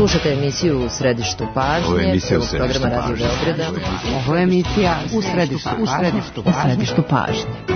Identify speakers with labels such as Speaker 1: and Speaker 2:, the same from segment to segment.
Speaker 1: Slušajte emisiju U središtu pažnje, prvog programa Radio Beograda.
Speaker 2: Ovo je emisija U središtu pažnje.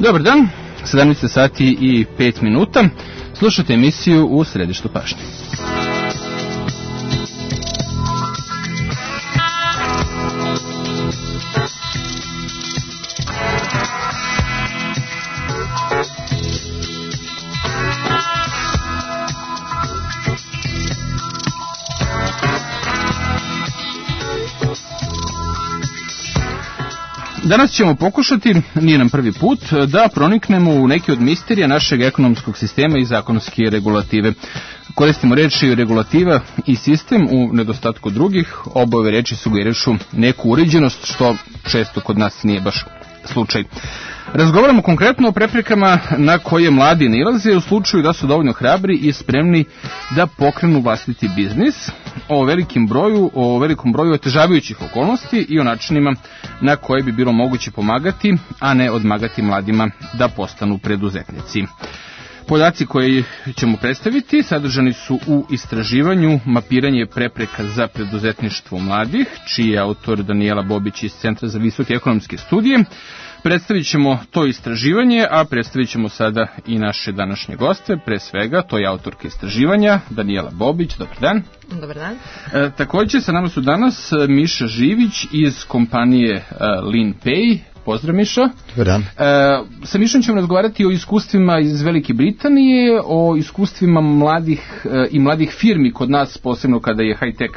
Speaker 3: Dobar dan, 17 sati i 5 minuta. Slušajte emisiju U središtu pažnje. Danas ćemo pokušati, nije nam prvi put, da proniknemo u neki od misterija našeg ekonomskog sistema i zakonske regulative. Koristimo reči regulativa i sistem u nedostatku drugih, oba ove reči sugerišu neku uređenost, što često kod nas nije baš slučaj. Razgovaramo konkretno o preprekama na koje mladi nailaze u slučaju da su dovoljno hrabri i spremni da pokrenu vlastiti biznis, o velikom broju otežavajućih okolnosti i o načinima na koje bi bilo moguće pomagati, a ne odmagati mladima da postanu preduzetnici. Podaci koje ćemo predstaviti sadržani su u istraživanju Mapiranje prepreka za preduzetništvo mladih, čiji je autor Danijela Bobić iz Centra za visoke ekonomske studije. Predstavit ćemo to istraživanje, a predstavit ćemo sada i naše današnje goste. Pre svega, to je autorka istraživanja, Danijela Bobić. Dobar dan.
Speaker 1: Dobar dan.
Speaker 3: Također sa nama su danas Miša Živić iz kompanije LeanPay. Pozdrav, Miša.
Speaker 4: Dobar dan.
Speaker 3: Sa Mišom ćemo razgovarati o iskustvima iz Velike Britanije, o iskustvima mladih firmi kod nas, posebno kada je high-tech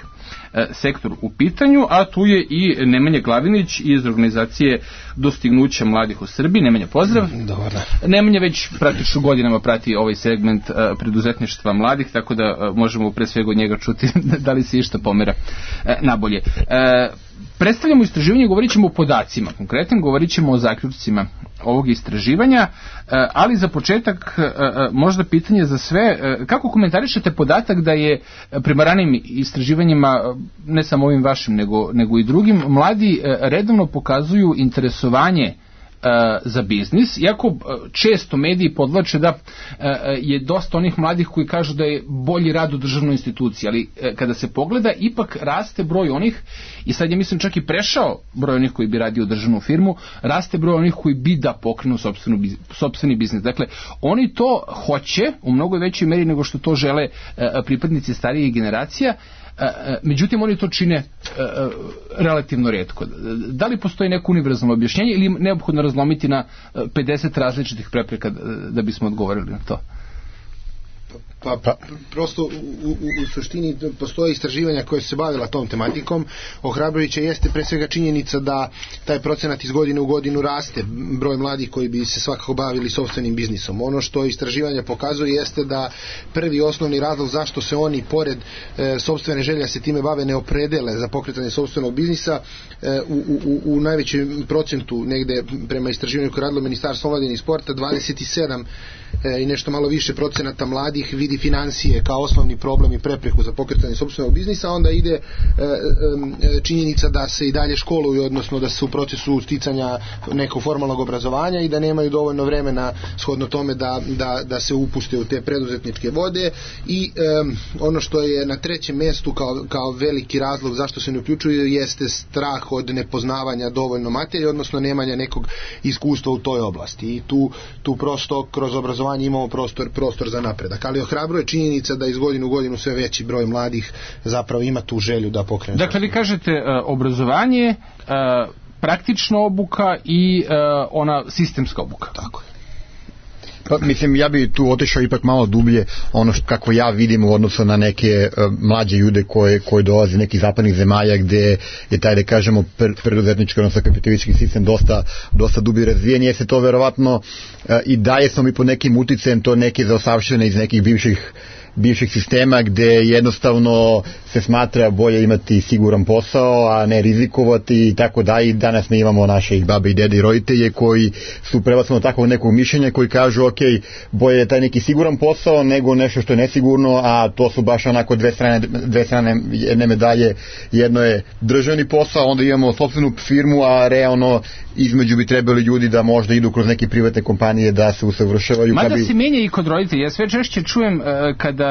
Speaker 3: sektor u pitanju, a tu je i Nemanja Glavinić iz organizacije Dostignuća mladih u Srbiji. Nemanja, pozdrav.
Speaker 4: Dobar dan.
Speaker 3: Nemanja već praktično godinama prati ovaj segment preduzetništva mladih, tako da možemo pre svega od njega čuti da li se išta pomera nabolje. Predstavljamo istraživanje, govorit ćemo o podacima, konkretno govorit ćemo o zaključcima ovog istraživanja, ali za početak možda pitanje za sve, kako komentarišete podatak da je prema ranijim istraživanjima, ne samo ovim vašim nego i drugim, mladi redovno pokazuju interesovanje za biznis, iako često mediji podvlače da je dosta onih mladih koji kažu da je bolji rad u državnoj instituciji, ali kada se pogleda ipak raste broj onih, i sad je mislim čak i prešao broj onih koji bi radio u državnu firmu, raste broj onih koji bi da pokrenu sopstveni biznis. Dakle, oni to hoće u mnogo većoj meri nego što to žele pripadnici starijih generacija. Međutim, oni to čine relativno rijetko. Da li postoji neko univerzalno objašnjenje ili je neophodno razlomiti na 50 različitih prepreka da bismo odgovorili na to?
Speaker 4: Pa prosto u suštini postoje istraživanja koje su se bavila tom tematikom. Ohrabrujuća jeste pre svega činjenica da taj procenat iz godine u godinu raste, broj mladih koji bi se svakako bavili sopstvenim biznisom. Ono što istraživanja pokazuje jeste da prvi osnovni razlog zašto se oni pored sopstvene želje se time bave ne opredele za pokretanje sopstvenog biznisa u najvećem procentu, negde prema istraživanju koje radilo Ministarstvo omladine i sporta, 27 i nešto malo više procenata mladih vidi financije kao osnovni problem i prepreku za pokretanje sopstvenog biznisa, onda ide činjenica da se i dalje školuju, odnosno da su u procesu sticanja nekog formalnog obrazovanja i da nemaju dovoljno vremena shodno tome da se upuste u te preduzetničke vode. I ono što je na trećem mjestu kao veliki razlog zašto se ne uključuju jeste strah od nepoznavanja dovoljno materije, odnosno nemanja nekog iskustva u toj oblasti. I tu prosto kroz obrazovanje imamo prostor za napredak. Ali ohrabruje činjenica da iz godine u godinu sve veći broj mladih zapravo ima tu želju da pokrene.
Speaker 3: Dakle, vi kažete obrazovanje, praktična obuka i ona sistemska obuka.
Speaker 4: Tako je.
Speaker 5: Pa, mislim, ja bi tu otišao ipak malo dublje, ono kako ja vidim u odnosu na neke mlađe ljude koji dolaze iz nekih zapadnih zemalja gde je taj, da kažemo, preduzetnički, odnosno kapitalistički sistem dosta dublje razvijen, je se to verovatno i daje smo mi pod nekim uticajem to neke zaostavštine iz nekih bivših sistema gde jednostavno se smatra bolje imati siguran posao, a ne rizikovati i tako da. I danas mi imamo naše babe i dede i roditelje koji su prevasno takvog nekog mišljenja koji kažu ok, bolje je taj neki siguran posao nego nešto što je nesigurno, a to su baš onako dve strane jedne medalje. Jedno je državni posao, onda imamo sopstvenu firmu, a realno između bi trebali ljudi da možda idu kroz neke privatne kompanije da se usavršavaju.
Speaker 3: Mada se menja i kod roditelja. Ja sve češće čujem kada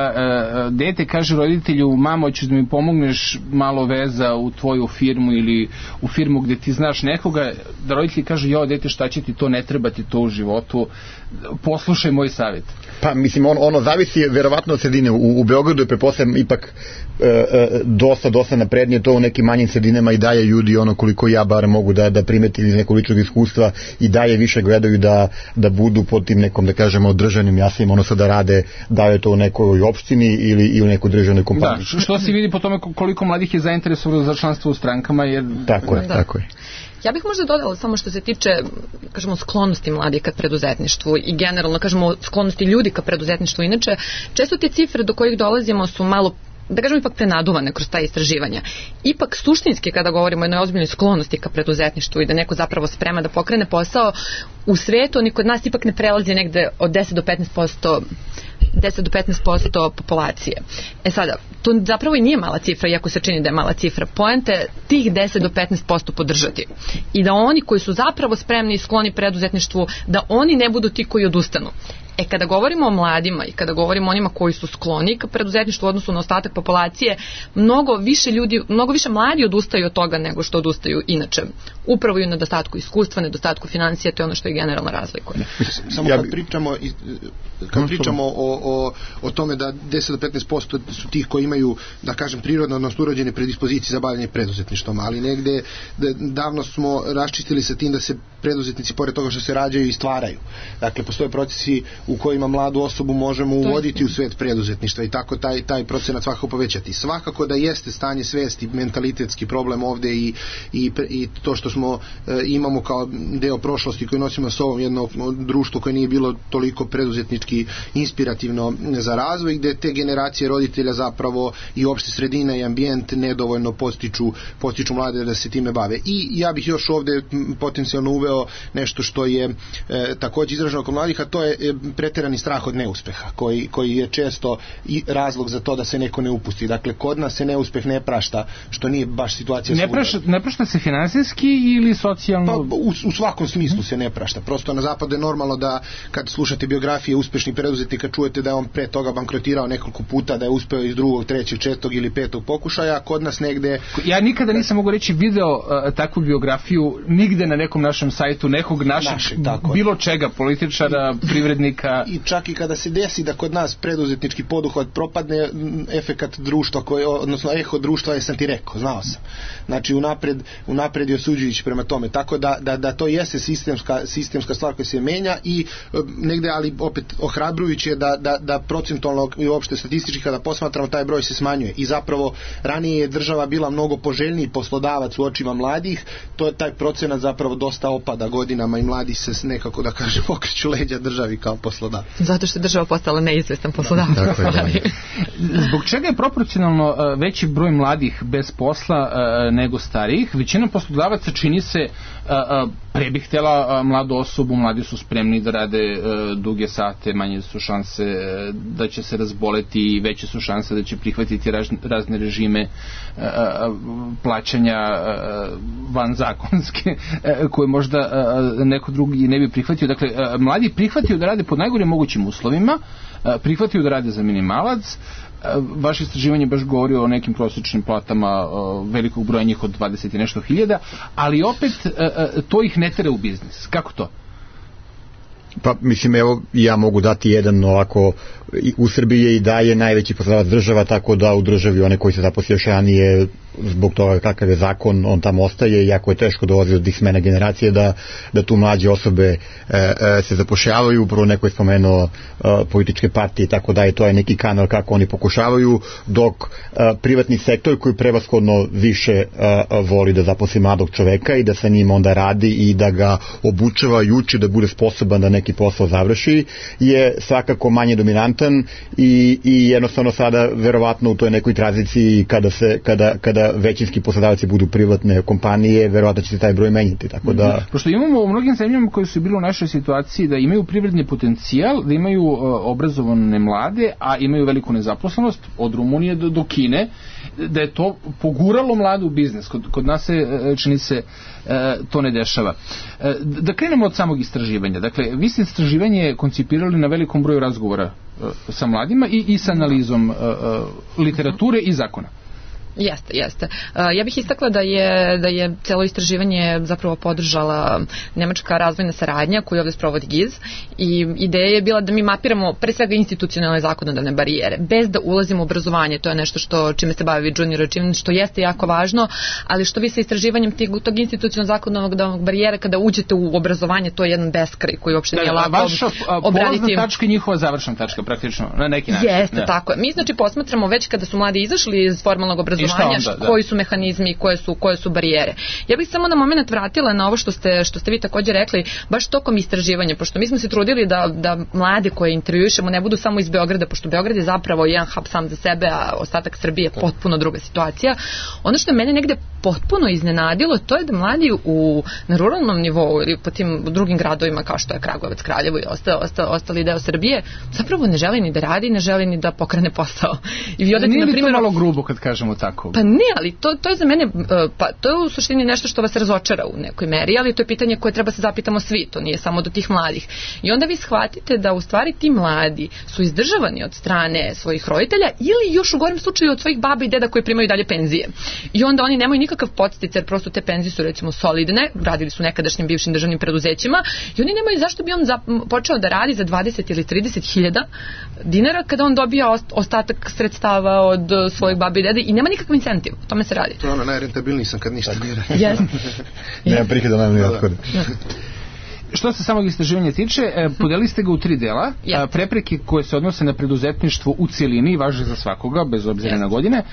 Speaker 3: dete kaže roditelju, mamo, hoćeš da mi pomogneš malo veza u tvoju firmu ili u firmu gde ti znaš nekoga, da roditelji kažu, jo dete, šta će ti to, ne treba ti to u životu, poslušaj moj savjet.
Speaker 5: Pa mislim, ono zavisi verovatno od sredine. U Beogradu je pretpostavljam ipak dosta naprednije to, u nekim manjim sredinama i dalje ljudi, ono koliko ja bar mogu da primetim iz nekog ličnog iskustva, i dalje više gledaju da budu pod tim nekom, da kažemo, državnim jasnim, ono da rade, da je to u nekoj opštini ili u nekoj državnoj kompaniji.
Speaker 3: Da, što se vidi po tome koliko mladih je zainteresovano za članstvo u strankama. Jer...
Speaker 5: Tako je.
Speaker 1: Ja bih možda dodala samo što se tiče, kažemo, sklonosti mladih ka preduzetništvu i generalno, kažemo, sklonosti ljudi ka preduzetništvu. Inače, često te cifre do kojih dolazimo su malo, da kažemo, ipak prenaduvane kroz ta istraživanja. Ipak suštinski, kada govorimo o jednoj ozbiljnoj sklonosti ka preduzetništvu i da neko zapravo sprema da pokrene posao, u svetu oni kod nas ipak ne prelazi negde od 10 do 15% populacije. Sada, to zapravo i nije mala cifra, iako se čini da je mala cifra. Poenta je tih 10 do 15% podržati. I da oni koji su zapravo spremni i skloni preduzetništvu, da oni ne budu ti koji odustanu. Kada govorimo o mladima i kada govorimo o onima koji su skloni ka preduzetništvu u odnosu na ostatak populacije, mnogo više mladi odustaju od toga nego što odustaju inače. Upravo i u nedostatku iskustva, nedostatku financija, to je ono što je generalno razlikuje.
Speaker 4: Samo kad pričamo o tome da 10 do 15% su tih koji imaju, da kažem, prirodno, odnosno urođene predispozicije za bavljanje preduzetništvom, ali negde davno smo raščistili sa tim da se preduzetnici, pored toga što se rađaju, i stvaraju. Dakle, postoje procesi u kojima mladu osobu možemo uvoditi u svet preduzetništva i tako taj procenat svakako povećati. Svakako da jeste stanje svesti mentalitetski problem ovde i to što smo imamo kao deo prošlosti koji nosimo sa ovom jedno društvo koje nije bilo toliko preduzetnički inspirativno za razvoj, gde te generacije roditelja zapravo i opšte sredina i ambijent nedovoljno postiču mlade da se time bave. I ja bih još ovde potencijalno uveo nešto što je takođe izraženo kod mladih, a to je preterani strah od neuspeha, koji je često i razlog za to da se neko ne upusti. Dakle, kod nas se neuspeh ne prašta, što nije baš situacija svuda.
Speaker 3: Ne prašta se finansijski ili socijalno?
Speaker 4: Pa, u svakom smislu se ne prašta. Prosto na zapadu je normalno da kad slušate biografije uspešnih preduzetnika čujete da je on pre toga bankrotirao nekoliko puta, da je uspeo iz 2., 3., 4. ili 5. pokušaja, kod nas negde...
Speaker 3: Ja nikada nisam mogu reći video takvu biografiju nigde na nekom našem sajtu, nekog našeg bilo čega, političara, privrednika.
Speaker 4: I čak i kada se desi da kod nas preduzetnički poduhvat propadne, efekat društva, odnosno eho društva je sam ti rekao, znao sam. Znači unapred je osuđujući prema tome. Tako da to jeste sistemska stvar koja se menja i negde, ali opet ohrabrujući je da procentualno i uopšte statistički kada posmatramo taj broj se smanjuje. I zapravo ranije je država bila mnogo poželjniji poslodavac u očima mladih, taj procenat zapravo dosta opada godinama i mladi se nekako, da kažem, okreću leđa državi kao poslodavac.
Speaker 1: Zato što je država postala neizvestan poslodavac.
Speaker 3: Zbog čega je proporcionalno veći broj mladih bez posla nego starijih? Većina poslodavaca čini se pre bih htjela mladu osobu, mladi su spremni da rade duge sate, manje su šanse da će se razboleti i veće su šanse da će prihvatiti razne režime plaćanja vanzakonske koje možda neko drugi ne bi prihvatio. Dakle, mladi prihvatio da rade pod najgorim mogućim uslovima, prihvatio da rade za minimalac. Vaše istraživanje baš govori o nekim prosječnim platama velikog broja njih od 20 i nešto hiljada, ali opet to ih ne tera u biznis. Kako to?
Speaker 5: Pa mislim, evo, ja mogu dati jedan ovako, u Srbiji je i dalje najveći poslodavac država, tako da u državi one koji se zaposlio još ranije zbog toga kakav je zakon, on tamo ostaje, jako je teško dolazi od tih smena generacije da tu mlađe osobe se zapošljavaju. Prvo neko je spomenuo političke partije i tako da je to je neki kanal kako oni pokušavaju, dok privatni sektor koji prevashodno više voli da zaposli mladog čoveka i da sa njim onda radi i da ga obučava i uči da bude sposoban da neki posao završi, je svakako manje dominantan i jednostavno sada verovatno u toj nekoj tranziciji kada većinski poslodavci budu privatne kompanije, verovatno će se taj broj menjati, tako da...
Speaker 3: Pošto imamo u mnogim zemljama koji su bili u našoj situaciji da imaju privredni potencijal, da imaju obrazovane mlade, a imaju veliku nezaposlenost, od Rumunije do Kine, da je to poguralo mlade u biznis. Kod nas se, čini se, to ne dešava. Da krenemo od samog istraživanja. Dakle, vi ste istraživanje koncipirali na velikom broju razgovora sa mladima i sa analizom literature i zakona.
Speaker 1: Jeste. Ja bih istakla da je celo istraživanje zapravo podržala nemačka razvojna saradnja koju ovdje sprovodi GIZ i ideja je bila da mi mapiramo pre svega institucionalne zakonodavne barijere, bez da ulazimo u obrazovanje. To je nešto čime se bavi Junior Achievement, što jeste jako važno, ali što vi sa istraživanjem tog institucionalnog zakonodavnog barijera, kada uđete u obrazovanje, to je jedan beskraj koji uopšte nije lako obraditi.
Speaker 3: Vaša polazna tačka i njihova završna tačka, praktično, na neki način.
Speaker 1: Jeste, tako je. Mi znači posmatramo već kada su mladi izašli iz formalnog obrazovanja, koji su mehanizmi i koje su barijere. Ja bih samo na moment vratila na ovo što ste vi također rekli, baš tokom istraživanja, pošto mi smo se trudili da mlade koje intervjuišemo ne budu samo iz Beograda, pošto Beograd je zapravo jedan hub sam za sebe, a ostatak Srbije je potpuno druga situacija. Ono što je mene negde potpuno iznenadilo, to je da mladi na ruralnom nivou ili po tim drugim gradovima kao što je Kragujevac, Kraljevo i ostali deo Srbije, zapravo ne želi ni da radi, ne želi ni da pokrene posao. I vi odete,
Speaker 3: nije li to malo grubo kad kažemo tako?
Speaker 1: Pa ne, ali to je za mene, to je u suštini nešto što vas razočara u nekoj meri, ali to je pitanje koje treba se zapitamo svi, to nije samo do tih mladih. I onda vi shvatite da u stvari ti mladi su izdržavani od strane svojih roditelja ili još u gorem slučaju od svojih baba i deda koji primaju dalje penzije. I onda oni nemaju nikakav podsticaj, jer prosto te penzije su recimo solidne, radili su nekadašnjim bivšim državnim preduzećima i oni nemaju zašto bi on počeo da radi za 20 ili 30 hiljada dinara kada on dobija ostatak sredstava od svojih baba i deda i nema nikakav incentiv, o tome se radi.
Speaker 4: To je ono, najrentabilniji sam kad ništa ne radi.
Speaker 1: Yes.
Speaker 5: Nema prihoda, nema ni othoda.
Speaker 3: Što se samog istraživanja tiče, podelili ste ga u 3 dela. Prepreke koje se odnose na preduzetništvo u cijelini važe za svakoga, bez obzira na godine.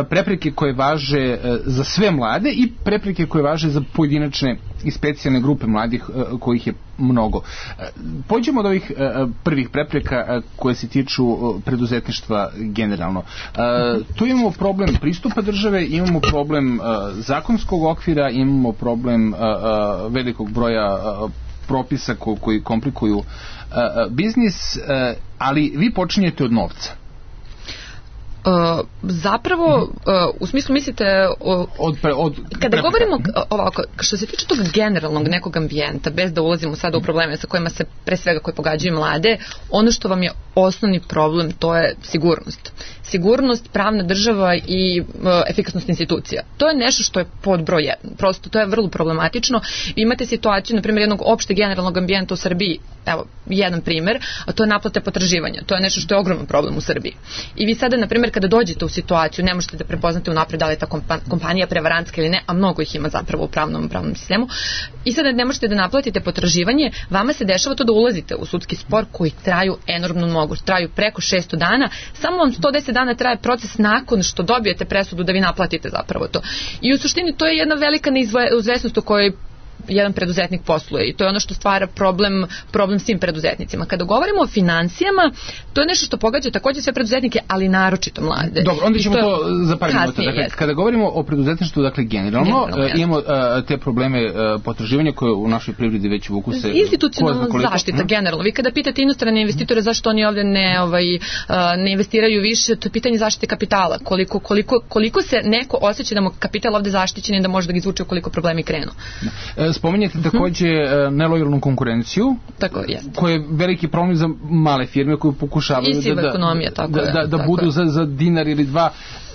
Speaker 3: Prepreke koje važe za sve mlade i prepreke koje važe za pojedinačne i specijalne grupe mladih kojih je mnogo. Pođemo od ovih prvih prepreka koje se tiču preduzetništva generalno. Tu imamo problem pristupa države, imamo problem zakonskog okvira, imamo problem velikog broja propisa koji komplikuju biznis, ali vi počinjete od novca.
Speaker 1: Zapravo, u smislu mislite kada govorimo ovako, što se tiče tog generalnog nekog ambijenta, bez da ulazimo sada u probleme sa kojima se pre svega koji pogađaju mlade, ono što vam je osnovni problem, to je sigurnost, pravna država i efikasnost institucija. To je nešto što je pod broj 1. Prosto to je vrlo problematično. Vi imate situaciju, na primjer, jednog opšte generalnog ambijenta u Srbiji. Evo, jedan primjer, a to je naplate potraživanja. To je nešto što je ogroman problem u Srbiji. I vi sada, na primjer, kada dođete u situaciju, ne možete da prepoznate unapred da li je ta kompanija prevarantska ili ne, a mnogo ih ima zapravo u pravnom sistemu. I sada ne možete da naplatite potraživanje, vama se dešava to da ulazite u sudski spor koji traju enormno mnogo. Traju preko 600 dana. Samo vam 110 dana traje proces nakon što dobijete presudu da vi naplatite zapravo to. I u suštini to je jedna velika neizvesnost u kojoj jedan preduzetnik posluje i to je ono što stvara problem svim preduzetnicima. Kada govorimo o financijama, to je nešto što pogađa također sve preduzetnike, ali naročito mlade.
Speaker 3: Dobro, onda ćemo to za par minuta. Dakle, kada govorimo o preduzetništvu, dakle generalno imamo te probleme potraživanja koje u našoj privredi već vuku se...
Speaker 1: Institucionalna zaštita, generalno. Vi kada pitate inostrane investitore zašto oni ovdje ne investiraju više, to je pitanje zaštite kapitala. Koliko se neko osjeća da mu kapital ovdje zaštićen i da može da ga izvuče ukoliko problemi krenu.
Speaker 3: Spominjete također nelojalnu konkurenciju, koja je veliki problem za male firme koje pokušavaju da budu za dinar ili dva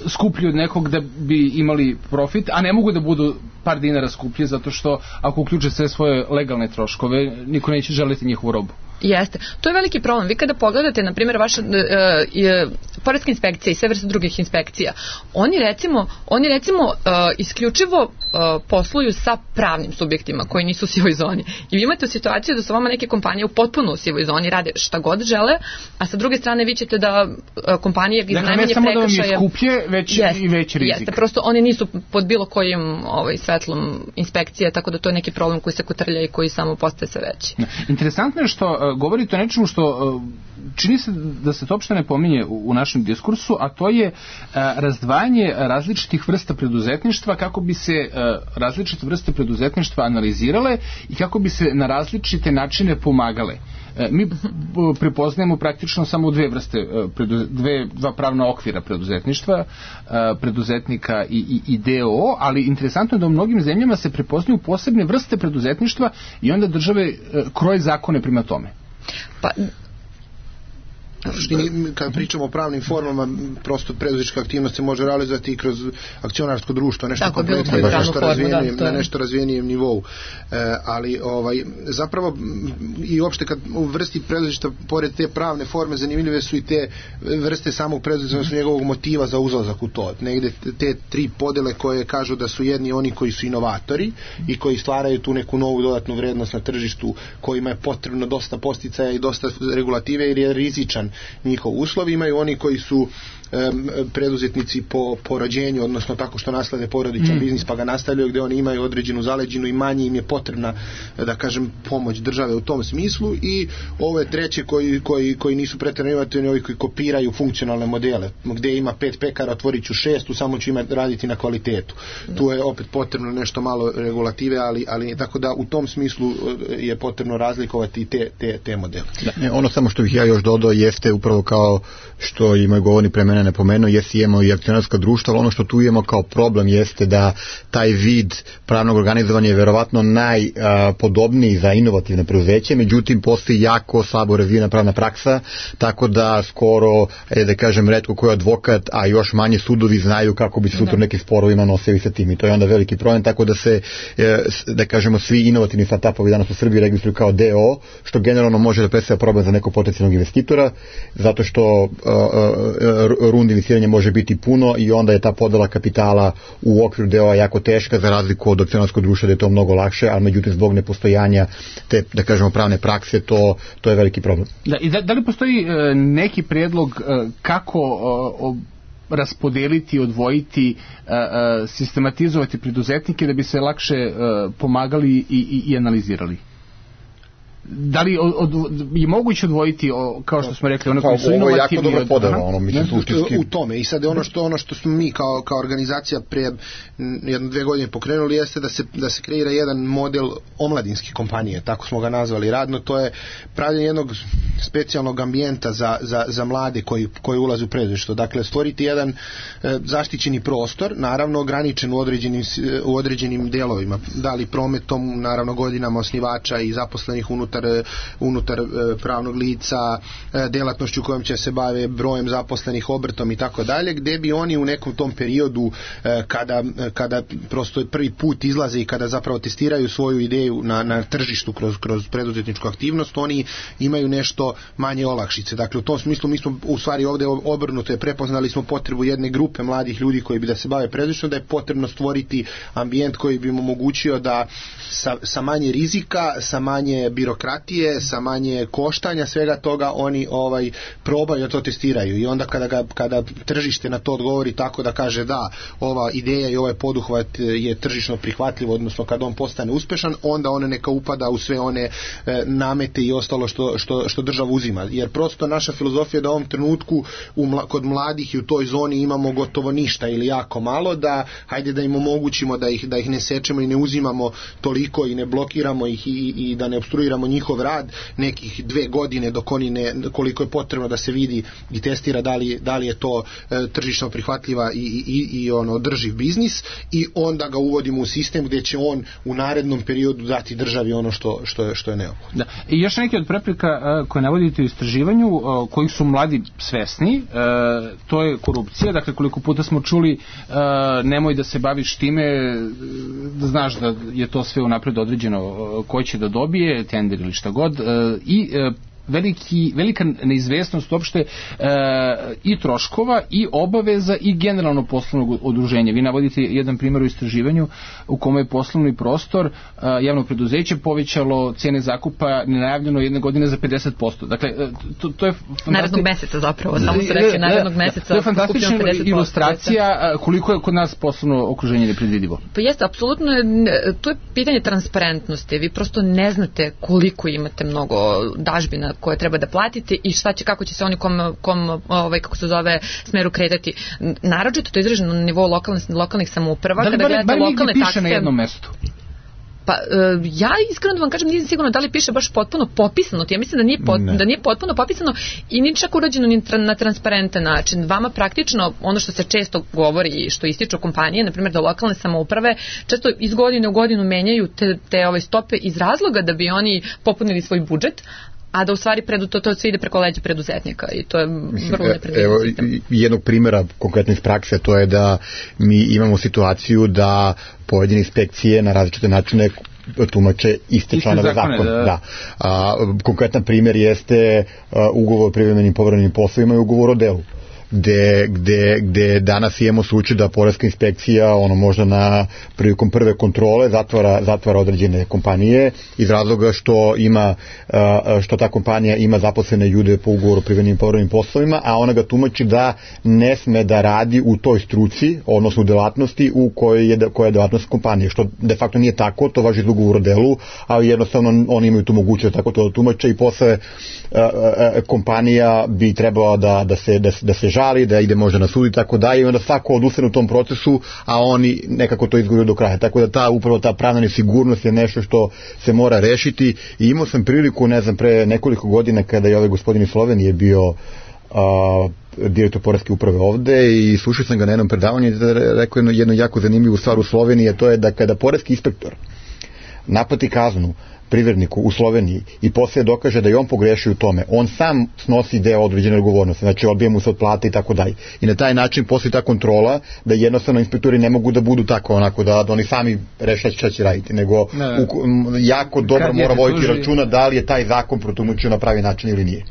Speaker 3: skuplji od nekog da bi imali profit, a ne mogu da budu par dinara skuplji zato što ako uključe sve svoje legalne troškove, niko neće želiti njihovu robu.
Speaker 1: Jeste. To je veliki problem. Vi kada pogledate, na primjer, vaša poreska inspekcija i sve vrste drugih inspekcija, oni recimo isključivo posluju sa pravnim subjektima koji nisu u sivoj zoni. I vi imate situaciju da su vama neke kompanije u potpuno u sivoj zoni, rade šta god žele, a sa druge strane vi ćete da kompanije iz najmanje prekršaja...
Speaker 3: Dakle, ne samo da vam je skuplje, već i veći rizik.
Speaker 1: Jeste, prosto oni nisu pod bilo kojim svetlom inspekcije, tako da to je neki problem koji se kotrlja i koji samo postaje sve veći.
Speaker 3: Interesantno je što govorite o nečemu što čini se da se to uopšte ne pominje u našem diskursu, a to je razdvajanje različitih vrsta preduzetništva, kako bi se različite vrste preduzetništva analizirale i kako bi se na različite načine pomagale. Mi prepoznajemo praktično samo dve vrste, dva pravna okvira preduzetništva, preduzetnika i DOO, ali interesantno je da u mnogim zemljama se prepoznaju posebne vrste preduzetništva i onda države kroje zakone prema tome.
Speaker 1: Pa
Speaker 4: kad pričamo o pravnim formama, prosto preduzetnička aktivnost se može realizovati i kroz akcionarsko društvo, nešto kompletno na nešto razvijenijem nivou. Ali zapravo i uopšte kad u vrsti preduzetništva, pored te pravne forme, zanimljive su i te vrste samog preduzetništva, njegovog motiva za uzlazak u to. Negde te tri podele koje kažu da su jedni oni koji su inovatori i koji stvaraju tu neku novu dodatnu vrednost na tržištu, kojima je potrebno dosta podsticaja i dosta regulative jer je rizičan njihov uslov. Imaju oni koji su preduzetnici po rođenju, odnosno tako što naslede porodičan biznis pa ga nastavljaju, gde oni imaju određenu zaleđinu i manje im je potrebna, da kažem, pomoć države u tom smislu. I ove treće koji nisu pretjerano inovativni, ovi koji kopiraju funkcionalne modele, gde ima 5 pekara, otvorit ću 6, samo ću raditi na kvalitetu. Tu je opet potrebno nešto malo regulative, ali tako da u tom smislu je potrebno razlikovati te modele.
Speaker 5: Ono samo što bih ja još dodao jeste upravo kao što i moj govornik pre mene napomenuo, jeste imamo i akcionarska društva, ali ono što tu imamo kao problem jeste da taj vid pravnog organizovanja je verovatno najpodobniji za inovativne preduzeće, međutim postoji jako slabo razvijena pravna praksa, tako da skoro, da kažem, retko koji advokat, a još manje sudovi znaju kako bi se sutra nekim sporovima nosili sa tim i to je onda veliki problem, tako da se, da kažemo, svi inovativni startupovi danas u Srbiji registruju kao DO, što generalno može da predstavlja problem za nekog potencijalnog investitora, zato što rundi investiranja može biti puno i onda je ta podela kapitala u okviru DO-a jako teška, za razliku od akcionarskog društva da je to mnogo lakše, ali međutim zbog nepostojanja te, da kažemo, pravne prakse, to je veliki problem.
Speaker 3: Da li postoji neki prijedlog kako raspodeliti, odvojiti, sistematizovati preduzetnike da bi se lakše pomagali i analizirali? Da li je moguće odvojiti, kao što smo rekli, ono koji su inovativni?
Speaker 5: Ovo je jako dobro podano,
Speaker 4: u tome. I sad ono što smo mi kao organizacija prije 1-2 godine pokrenuli jeste da se kreira jedan model omladinske kompanije, tako smo ga nazvali radno. To je pravljenje jednog specijalnog ambijenta za mlade koji ulaze u preduzetništvo. Dakle, stvoriti jedan zaštićeni prostor, naravno ograničen u određenim delovima. Da li prometom, naravno godinama osnivača i zaposlenih unutar pravnog lica, delatnošću kojom će se bave, brojem zaposlenih, obrtom i tako dalje, gde bi oni u nekom tom periodu kada prosto prvi put izlaze i kada zapravo testiraju svoju ideju na tržištu kroz preduzetničku aktivnost, oni imaju nešto manje olakšice. Dakle, u tom smislu mi smo u stvari ovde obrnuto je prepoznali smo potrebu jedne grupe mladih ljudi koji bi da se bave preduzetništvom, da je potrebno stvoriti ambijent koji bi im omogućio da sa manje rizika, sa manje birokratije, sa manje koštanja, svega toga oni probaju da to testiraju i onda kada tržište na to odgovori tako da kaže da ova ideja i ovaj poduhvat je tržišno prihvatljiv, odnosno kad on postane uspešan, onda on neka upada u sve one namete i ostalo što država uzima. Jer prosto naša filozofija je da u ovom trenutku kod mladih i u toj zoni imamo gotovo ništa ili jako malo, da hajde da im omogućimo da ih ne sečemo i ne uzimamo toliko i ne blokiramo ih i da ne obstruiramo njihov rad nekih 2 godine dok oni koliko je potrebno da se vidi i testira da li je to tržišno prihvatljiva i održiv biznis i onda ga uvodimo u sistem gdje će on u narednom periodu dati državi ono što je neophodno.
Speaker 3: Da. I još neke od prepreka koje navodite u istraživanju kojih su mladi svesni, to je korupcija. Dakle, koliko puta smo čuli nemoj da se baviš time, da znaš da je to sve unapred određeno ko će da dobije, tender ili šta god, i velika neizvesnost uopšte i troškova i obaveza i generalno poslovnog udruženja. Vi navodite jedan primjer u istraživanju u kome je poslovni prostor javnog preduzeća povećalo cijene zakupa nenajavljeno jedne godine za 50%. Dakle, to je
Speaker 1: narednog meseca zapravo, samo se rekli narednog meseca.
Speaker 3: To je fantastična ilustracija koliko je kod nas poslovno okruženje nepredvidivo.
Speaker 1: Pa jeste, apsolutno to je pitanje transparentnosti. Vi prosto ne znate koliko imate mnogo dažbina koje treba da platite i kako će se oni kako se zove, smeru kretati. Naročito to je izraženo na nivou lokalnih samouprava.
Speaker 3: Da li bar negdje piše na jednom mestu?
Speaker 1: Pa ja iskreno da vam kažem, nisam sigurno da li piše baš potpuno popisano. Ja mislim da nije potpuno popisano i nije čak urađeno na transparentan način. Vama praktično ono što se često govori i što ističu kompanije, na primjer da lokalne samouprave često iz godine u godinu menjaju te stope iz razloga da bi oni popunili svoj budžet, a da u stvari to sve ide preko leđa preduzetnika i to je vrlo nepredvidiv sistem.
Speaker 5: Jednog primjera konkretno iz prakse, to je da mi imamo situaciju da pojedine inspekcije na različite načine tumače iste članove zakona. Konkretan primjer jeste ugovor o privremenim povremenim poslovima i ugovor o delu. Gde danas imamo slučaj da poreska inspekcija možda prilikom prve kontrole zatvara određene kompanije iz razloga što ta kompanija ima zaposlene ljude po ugovoru o privremenim povremenim poslovima, a ona ga tumači da ne sme da radi u toj struci, odnosno u delatnosti koja je delatnost kompanije, što de facto nije tako, to važi za ugovor o delu, ali jednostavno oni imaju tu mogućnost tako to da tumače i posle kompanija bi trebala da se žali, da ide možda na sud i tako dalje i onda svako odustane u tom procesu, a oni nekako to izguraju do kraja. Tako da upravo ta pravna nesigurnost je nešto što se mora rešiti i imao sam priliku, pre nekoliko godina kada je ovaj gospodin iz Slovenije bio direktor poreske uprave ovde i slušao sam ga na jednom predavanju i rekao jednu jako zanimljivu stvar u Sloveniji, a to je da kada poreski inspektor naplati kaznu privredniku u Sloveniji i poslije dokaže da je on pogrešio u tome, on sam snosi deo određene odgovornosti, znači odbije mu se od plate i tako dalje. I na taj način postoji ta kontrola da jednostavno inspektori ne mogu da budu tako da oni sami reše šta će raditi, nego jako dobro mora voditi računa da li je taj zakon protumačio na pravi način ili nije.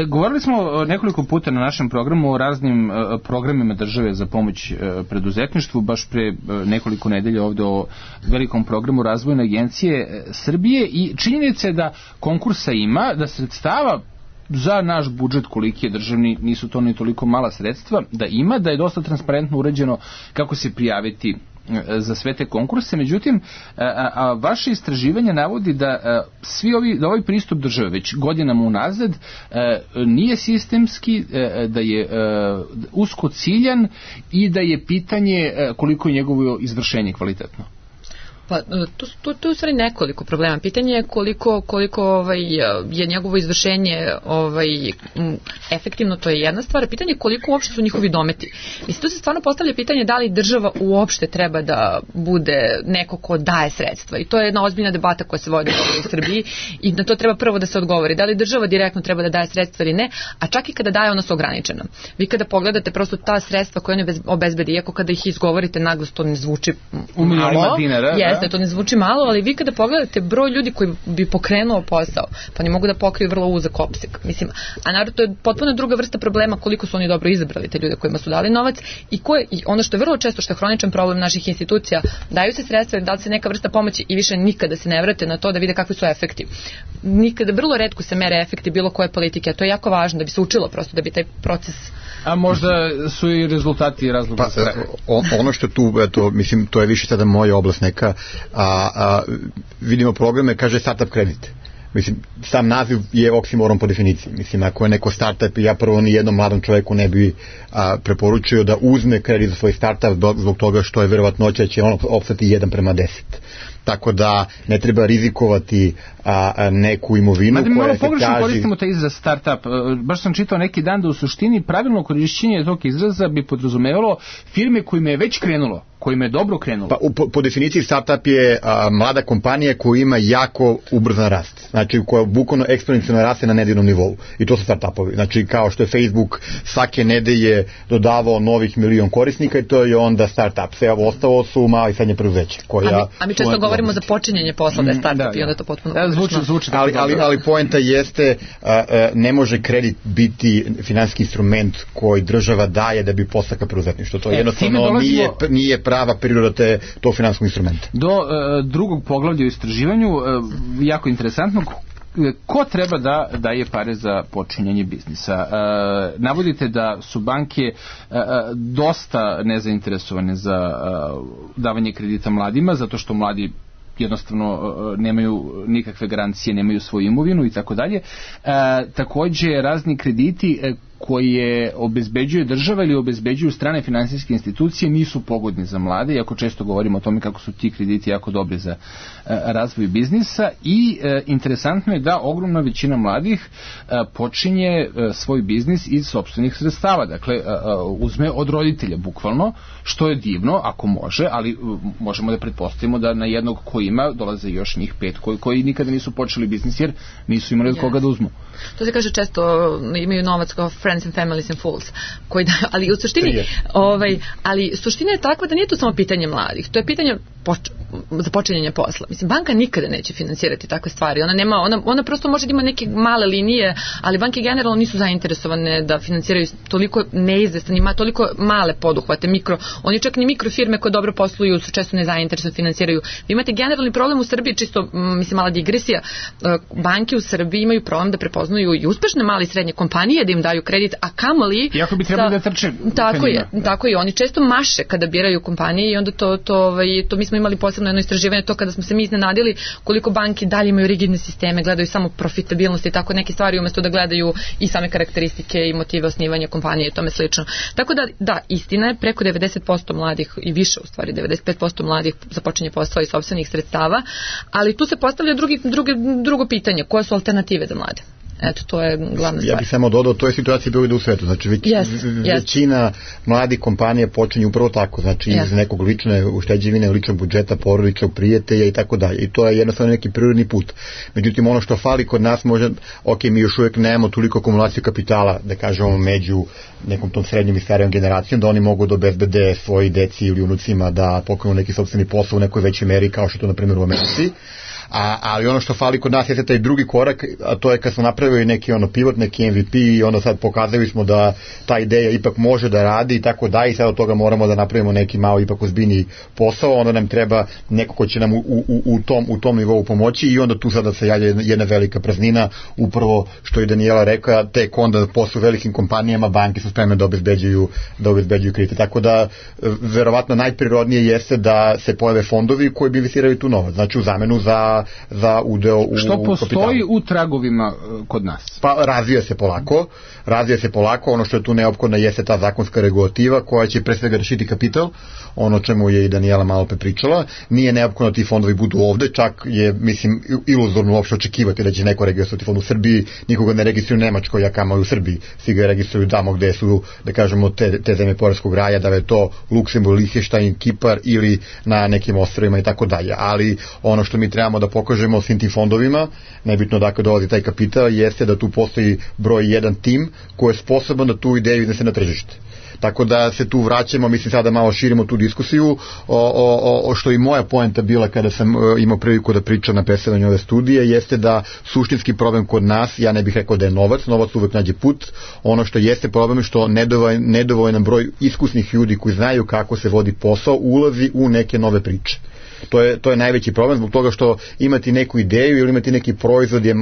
Speaker 3: Govorili smo nekoliko puta na našem programu o raznim programima države za pomoć preduzetništvu, baš pre nekoliko nedelja ovde o velikom programu Razvojne agencije Srbije i činjenica je da konkursa ima, da sredstava za naš budžet koliki je državni, nisu to ni toliko mala sredstva, da ima, da je dosta transparentno uređeno kako se prijaviti za sve te konkurse, međutim vaše istraživanje navodi da da ovaj pristup države već godinama unazad nije sistemski, da je usko ciljan i da je pitanje koliko je njegovo izvršenje kvalitetno.
Speaker 1: Pa, tu je u stvari nekoliko problema. Pitanje je koliko je njegovo izvršenje efektivno, to je jedna stvar. Pitanje je koliko uopšte su njihovi dometi. Mislim, tu se stvarno postavlja pitanje da li država uopšte treba da bude neko ko daje sredstva. I to je jedna ozbiljna debata koja se vodi u Srbiji i na to treba prvo da se odgovori. Da li država direktno treba da daje sredstva ili ne, a čak i kada daje, ona su ograničena. Vi kada pogledate prosto ta sredstva koje one obezbedi, iako kada ih izgovorite naglas, to ne zvuči malo. Jeste, to ne zvuči malo, ali vi kada pogledate broj ljudi koji bi pokrenuo posao, pa oni mogu da pokriju vrlo uzak opseg. Mislim, a naravno to je potpuno druga vrsta problema koliko su oni dobro izabrali te ljude kojima su dali novac i ono što je vrlo često, što je hroničan problem naših institucija, daju se sredstva, da li se neka vrsta pomoći i više nikada se ne vrate na to da vide kakvi su efekti. Nikada, vrlo retko se mere efekti bilo koje politike, a to je jako važno da bi se učilo prosto, da bi taj proces.
Speaker 3: A možda su i rezultati razloga.
Speaker 5: Ono što tu, mislim, to je više sada moja oblast neka, vidimo programe, kaže startup kredit. Mislim, sam naziv je oksimoron po definiciji. Mislim, ako je neko startup, ja prvo ni jednom mladom čovjeku ne bi preporučio da uzme kredit za svoj startup zbog toga što je verovatnoća da će on opstati 1:10. Tako da ne treba rizikovati neku imovinu koja se kaže.
Speaker 3: Malo pogrešno koristimo taj izraz startup. Baš sam čitao neki dan da u suštini pravilno korišćenje tog izraza bi podrazumevalo firme kojima je već krenulo, kojima je dobro krenulo.
Speaker 5: Pa po definiciji startup je mlada kompanija koja ima jako ubrzan rast. Znači koja bukvalno eksponencijalno raste na nedeljnom nivou. I to su startupovi. Znači kao što je Facebook svake nedelje dodavao novih 1 milion korisnika i to je onda startup. Sve ovo ostalo su mala i srednje preduzeće.
Speaker 1: A mi često govorimo za počinjenje posla da je startup i onda to potpuno
Speaker 3: zvuči.
Speaker 5: Ali poenta jeste ne može kredit biti finansijski instrument koji država daje da bi podstakao preduzetništvo. To jednostavno nije prava priroda tog finansijskog instrumenta.
Speaker 3: Do drugog poglavlja u istraživanju, jako interesantno, ko treba da daje pare za počinjanje biznisa? Navodite da su banke dosta nezainteresovane za davanje kredita mladima, zato što mladi jednostavno nemaju nikakve garancije, nemaju svoju imovinu i tako dalje. Takođe, razni krediti koje obezbeđuje država ili obezbeđuju strane finansijske institucije nisu pogodni za mlade, iako često govorimo o tome kako su ti krediti jako dobri za razvoj biznisa i interesantno je da ogromna većina mladih počinje svoj biznis iz sopstvenih sredstava, dakle uzme od roditelja bukvalno, što je divno ako može, ali možemo da pretpostavimo da na jednog ko ima dolaze još njih 5 koji nikada nisu počeli biznis jer nisu imali od koga da uzmu.
Speaker 1: To se kaže često, imaju novac kao friends and families and fools, ali u suštini ali suština je takva da nije to samo pitanje mladih, to je pitanje započinjanja posla. Mislim, banka nikada neće finansirati takve stvari. Ona prosto može da ima neke male linije, ali banke generalno nisu zainteresovane da finansiraju toliko neizvestan, ima toliko male poduhvate, oni čak ni mikrofirme koje dobro posluju su često nezainteresovane finansiraju. Vi imate generalni problem u Srbiji, čisto, mislim, mala digresija, banke u Srbiji imaju problem da prepoznaju i uspešne male i srednje kompanije da im daju kredit, a kamoli...
Speaker 3: Iako bi trebali da trče.
Speaker 1: Tako je, oni često maše kada biraju kompanije i onda to mi smo imali posebno jedno istraživanje, to kada smo se mi iznenadili koliko banke dalje imaju rigidne sisteme, gledaju samo profitabilnost i tako neke stvari umesto da gledaju i same karakteristike i motive osnivanja kompanije i tome slično. Tako da, istina je, preko 90% mladih i više u stvari, 95% mladih započinje posao iz sopstvenih sredstava, ali tu se postavlja drugo pitanje, koje su alternative za mlade? Eto, to je glavna stvar.
Speaker 5: Ja bih samo dodao, to je situacija bila u svetu. Znači, većina mladih kompanija počinje upravo tako. Znači, iz nekog lične ušteđevine, ličnog budžeta, porodičnog prijatelja i tako dalje. I to je jednostavno neki prirodni put. Međutim, ono što fali kod nas može, mi još uvijek nemamo toliko akumulaciju kapitala, da kažemo, među nekom tom srednjom i starijom generacijom, da oni mogu da obezbede svoji deci ili unucima da pokrenu neki sopstveni posao u nekoj većoj meri, kao što to, na primjer, u Americi. Ali ono što fali kod nas je taj drugi korak, a to je kad smo napravili neki pivot, neki MVP i onda sad pokazali smo da ta ideja ipak može da radi i tako da, i sad od toga moramo da napravimo neki malo ipak ozbiljniji posao, onda nam treba neko ko će nam u tom nivou pomoći i onda tu sada se javlja jedna velika praznina, upravo što je Danijela rekla, tek onda posle velikim kompanijama banke su spremne da obezbeđuju kredite, tako da verovatno najprirodnije jeste da se pojave fondovi koji bi investirali tu novac, znači u zamenu za udeo u kapitalu.
Speaker 3: Što postoji u tragovima kod nas?
Speaker 5: Pa razvija se polako, ono što je tu neophodno jeste ta zakonska regulativa koja će pre svega rešiti kapital, ono čemu je i Danijela malo pričala, nije neophodno ti fondovi budu ovde, čak je, mislim, iluzorno uopšte očekivati da će neko registrovati fond u Srbiji, nikoga ne registruju u Nemačkoj, a kamoli u Srbiji, svi ga registruju tamo gde su, da kažemo, te zemlje poreskog raja, da je to Luksemburg, Lihtenštajn, Kipar ili na nekim ostrvima i tako dalje, ali ono što mi trebamo da pokažemo svim tim fondovima, nebitno dakle dolazi taj kapital, jeste da tu postoji broj 1 tim koji je sposoban da tu ideju iznese na tržište. Tako da se tu vraćamo, mislim sada malo širimo tu diskusiju, što i moja poenta bila kada sam imao priliku da pričam na predstavljanju ove studije, jeste da suštinski problem kod nas, ja ne bih rekao da je novac uvek nađe put, ono što jeste problem je što nedovoljan broj iskusnih ljudi koji znaju kako se vodi posao ulazi u neke nove priče. To je najveći problem zbog toga što imati neku ideju ili imati neki proizvod je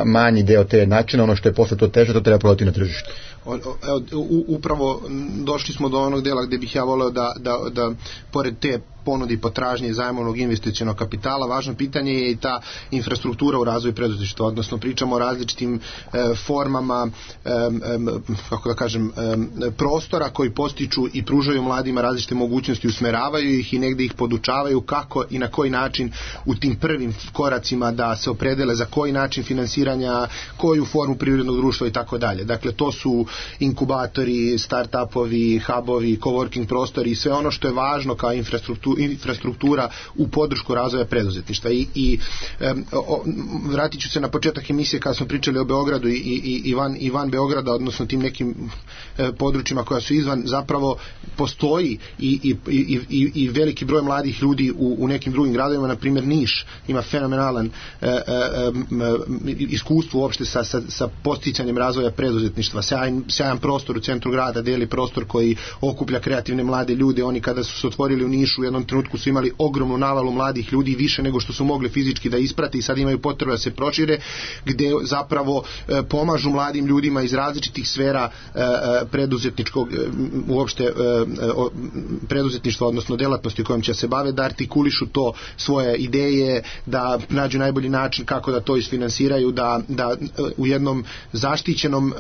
Speaker 5: manji deo te načina, ono što je posle to teže, to treba prodati na tržištu.
Speaker 4: Upravo došli smo do onog dela gde bih ja voleo da pored te ponude i potražnje zajmovnog investicionog kapitala. Važno pitanje je i ta infrastruktura u razvoju preduzetništva, odnosno pričamo o različitim formama, kako da kažem, prostora koji postiču i pružaju mladima različite mogućnosti, usmeravaju ih i negde ih podučavaju kako i na koji način u tim prvim koracima da se opredele za koji način finansiranja, koju formu privrednog društva i tako dalje. Dakle, to su inkubatori, start-upovi, hubovi, coworking prostori i sve ono što je važno kao infrastruktura u podršku razvoja preduzetništva. I vratit ću se na početak emisije kada smo pričali o Beogradu i van Beograda, odnosno tim nekim područjima koja su izvan, zapravo postoji i veliki broj mladih ljudi u nekim drugim gradovima, na primjer Niš ima fenomenalan iskustvo uopšte sa podsticanjem razvoja preduzetništva. Sjajan prostor u centru grada, deli prostor koji okuplja kreativne mlade ljude. Oni kada su se otvorili u Nišu u jednom trenutku su imali ogromnu navalu mladih ljudi, više nego što su mogli fizički da isprate i sad imaju potrebu da se prošire, gde zapravo pomažu mladim ljudima iz različitih sfera preduzetničkog uopšte preduzetništva, odnosno delatnosti kojom će se bave, da artikulišu to svoje ideje, da nađu najbolji način kako da to isfinansiraju, da u jednom zaštićenom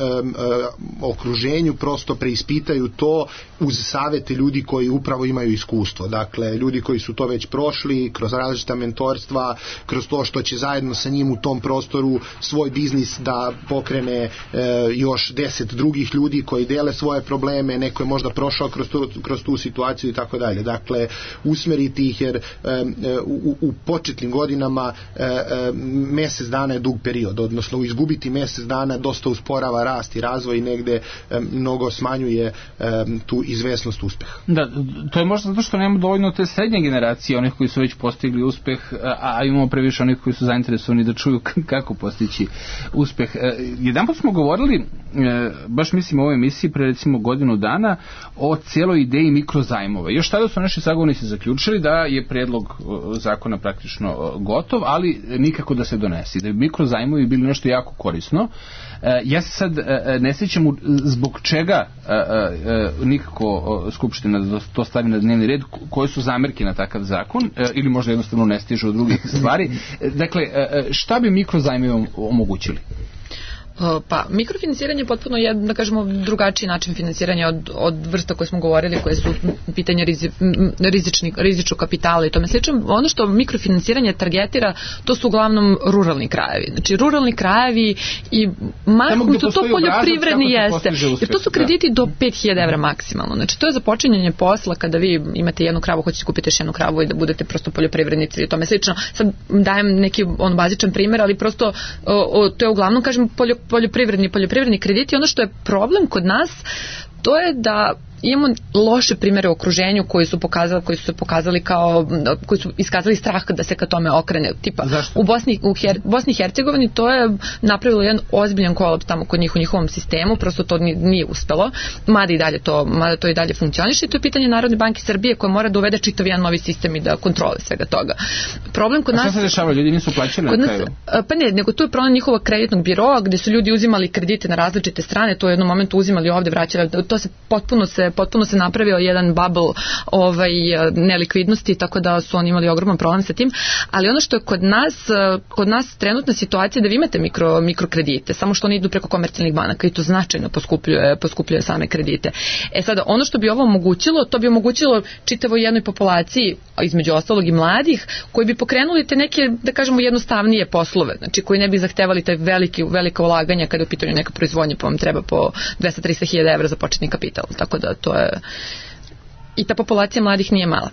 Speaker 4: okruženju prosto preispitaju to uz savete ljudi koji upravo imaju iskustvo. Dakle, ljudi koji su to već prošli kroz različita mentorstva, kroz to što će zajedno sa njim u tom prostoru svoj biznis da pokrene još 10 drugih ljudi koji dele svoje probleme, neko je možda prošao kroz tu situaciju i tako dalje. Dakle, usmeriti ih, jer u početnim godinama mesec dana je dug period, odnosno izgubiti mesec dana dosta usporava rast i razvoj i negde mnogo smanjuje tu izvesnost uspeha.
Speaker 3: Da, to je možda zato što nemamo dovoljno te srednje generacije, onih koji su već postigli uspeh, a imamo previše onih koji su zainteresovani da čuju kako postići uspeh. Jedanput smo govorili, baš mislim u ovoj emisiji pre recimo godinu dana, o cijeloj ideji mikrozajmova. Još tada su naši sagovornici zaključili da je predlog zakona praktično gotov, ali nikako da se donesi. Da bi mikrozajmovi bili nešto jako korisno. Ja se sad ne sjećam zbog čega nikako Skupština da to stavi na dnevni red, koje su zamerke na takav zakon, ili možda jednostavno ne stižu od drugih stvari. Dakle, šta bi mikrozajmovi omogućili?
Speaker 1: Pa, mikrofinansiranje je potpuno da kažemo drugačiji način finansiranja od vrsta koje smo govorili, koje su pitanje rizičnog kapitala i tome slično. Ono što mikrofinansiranje targetira, to su uglavnom ruralni krajevi. Znači, ruralni krajevi i mahom su to poljoprivredni jeste. Jer to su krediti do 5000 evra maksimalno. Znači, to je započinjanje posla kada vi imate jednu kravu, hoćete kupiti još jednu kravu i da budete prosto poljoprivrednici i tome slično. Sad dajem neki bazičan primjer, ali prosto to je uglavnom, kažem, poljoprivredni krediti. Ono što je problem kod nas, to je da imamo loše primere u okruženju koji su se pokazali kao, koji su iskazali strah da se ka tome okrene. Tipa, u Bosni i Hercegovini to je napravilo jedan ozbiljan kolaps tamo kod njih u njihovom sistemu, prosto to nije uspelo, mada to i dalje funkcioniše, i to je pitanje Narodne banke Srbije koja mora da uvede čitav jedan novi sistem i da kontrole svega toga. Problem kod nas...
Speaker 3: A šta se dešava? Ljudi nisu plaćali na kraju?
Speaker 1: Pa ne, nego to je problem njihovog kreditnog biroa gde su ljudi uzimali kredite na različite strane, to u jednom momentu uzimali ovde, vraćali, to se potpuno se napravio jedan bubble nelikvidnosti, tako da su oni imali ogroman problem sa tim, ali ono što je kod nas trenutna situacija da vi imate mikrokredite, samo što oni idu preko komercijalnih banaka i to značajno poskupljuje same kredite. Sada, ono što bi ovo omogućilo, to bi omogućilo čitavoj jednoj populaciji, između ostalog i mladih, koji bi pokrenuli te neke, da kažemo, jednostavnije poslove, znači koji ne bi zahtevali te velika ulaganja kada je u pitanju neka proizvodnja, pa vam treba po 200-300 hiljada evra za početni kapital, tako da to je... I ta populacija mladih nije mala.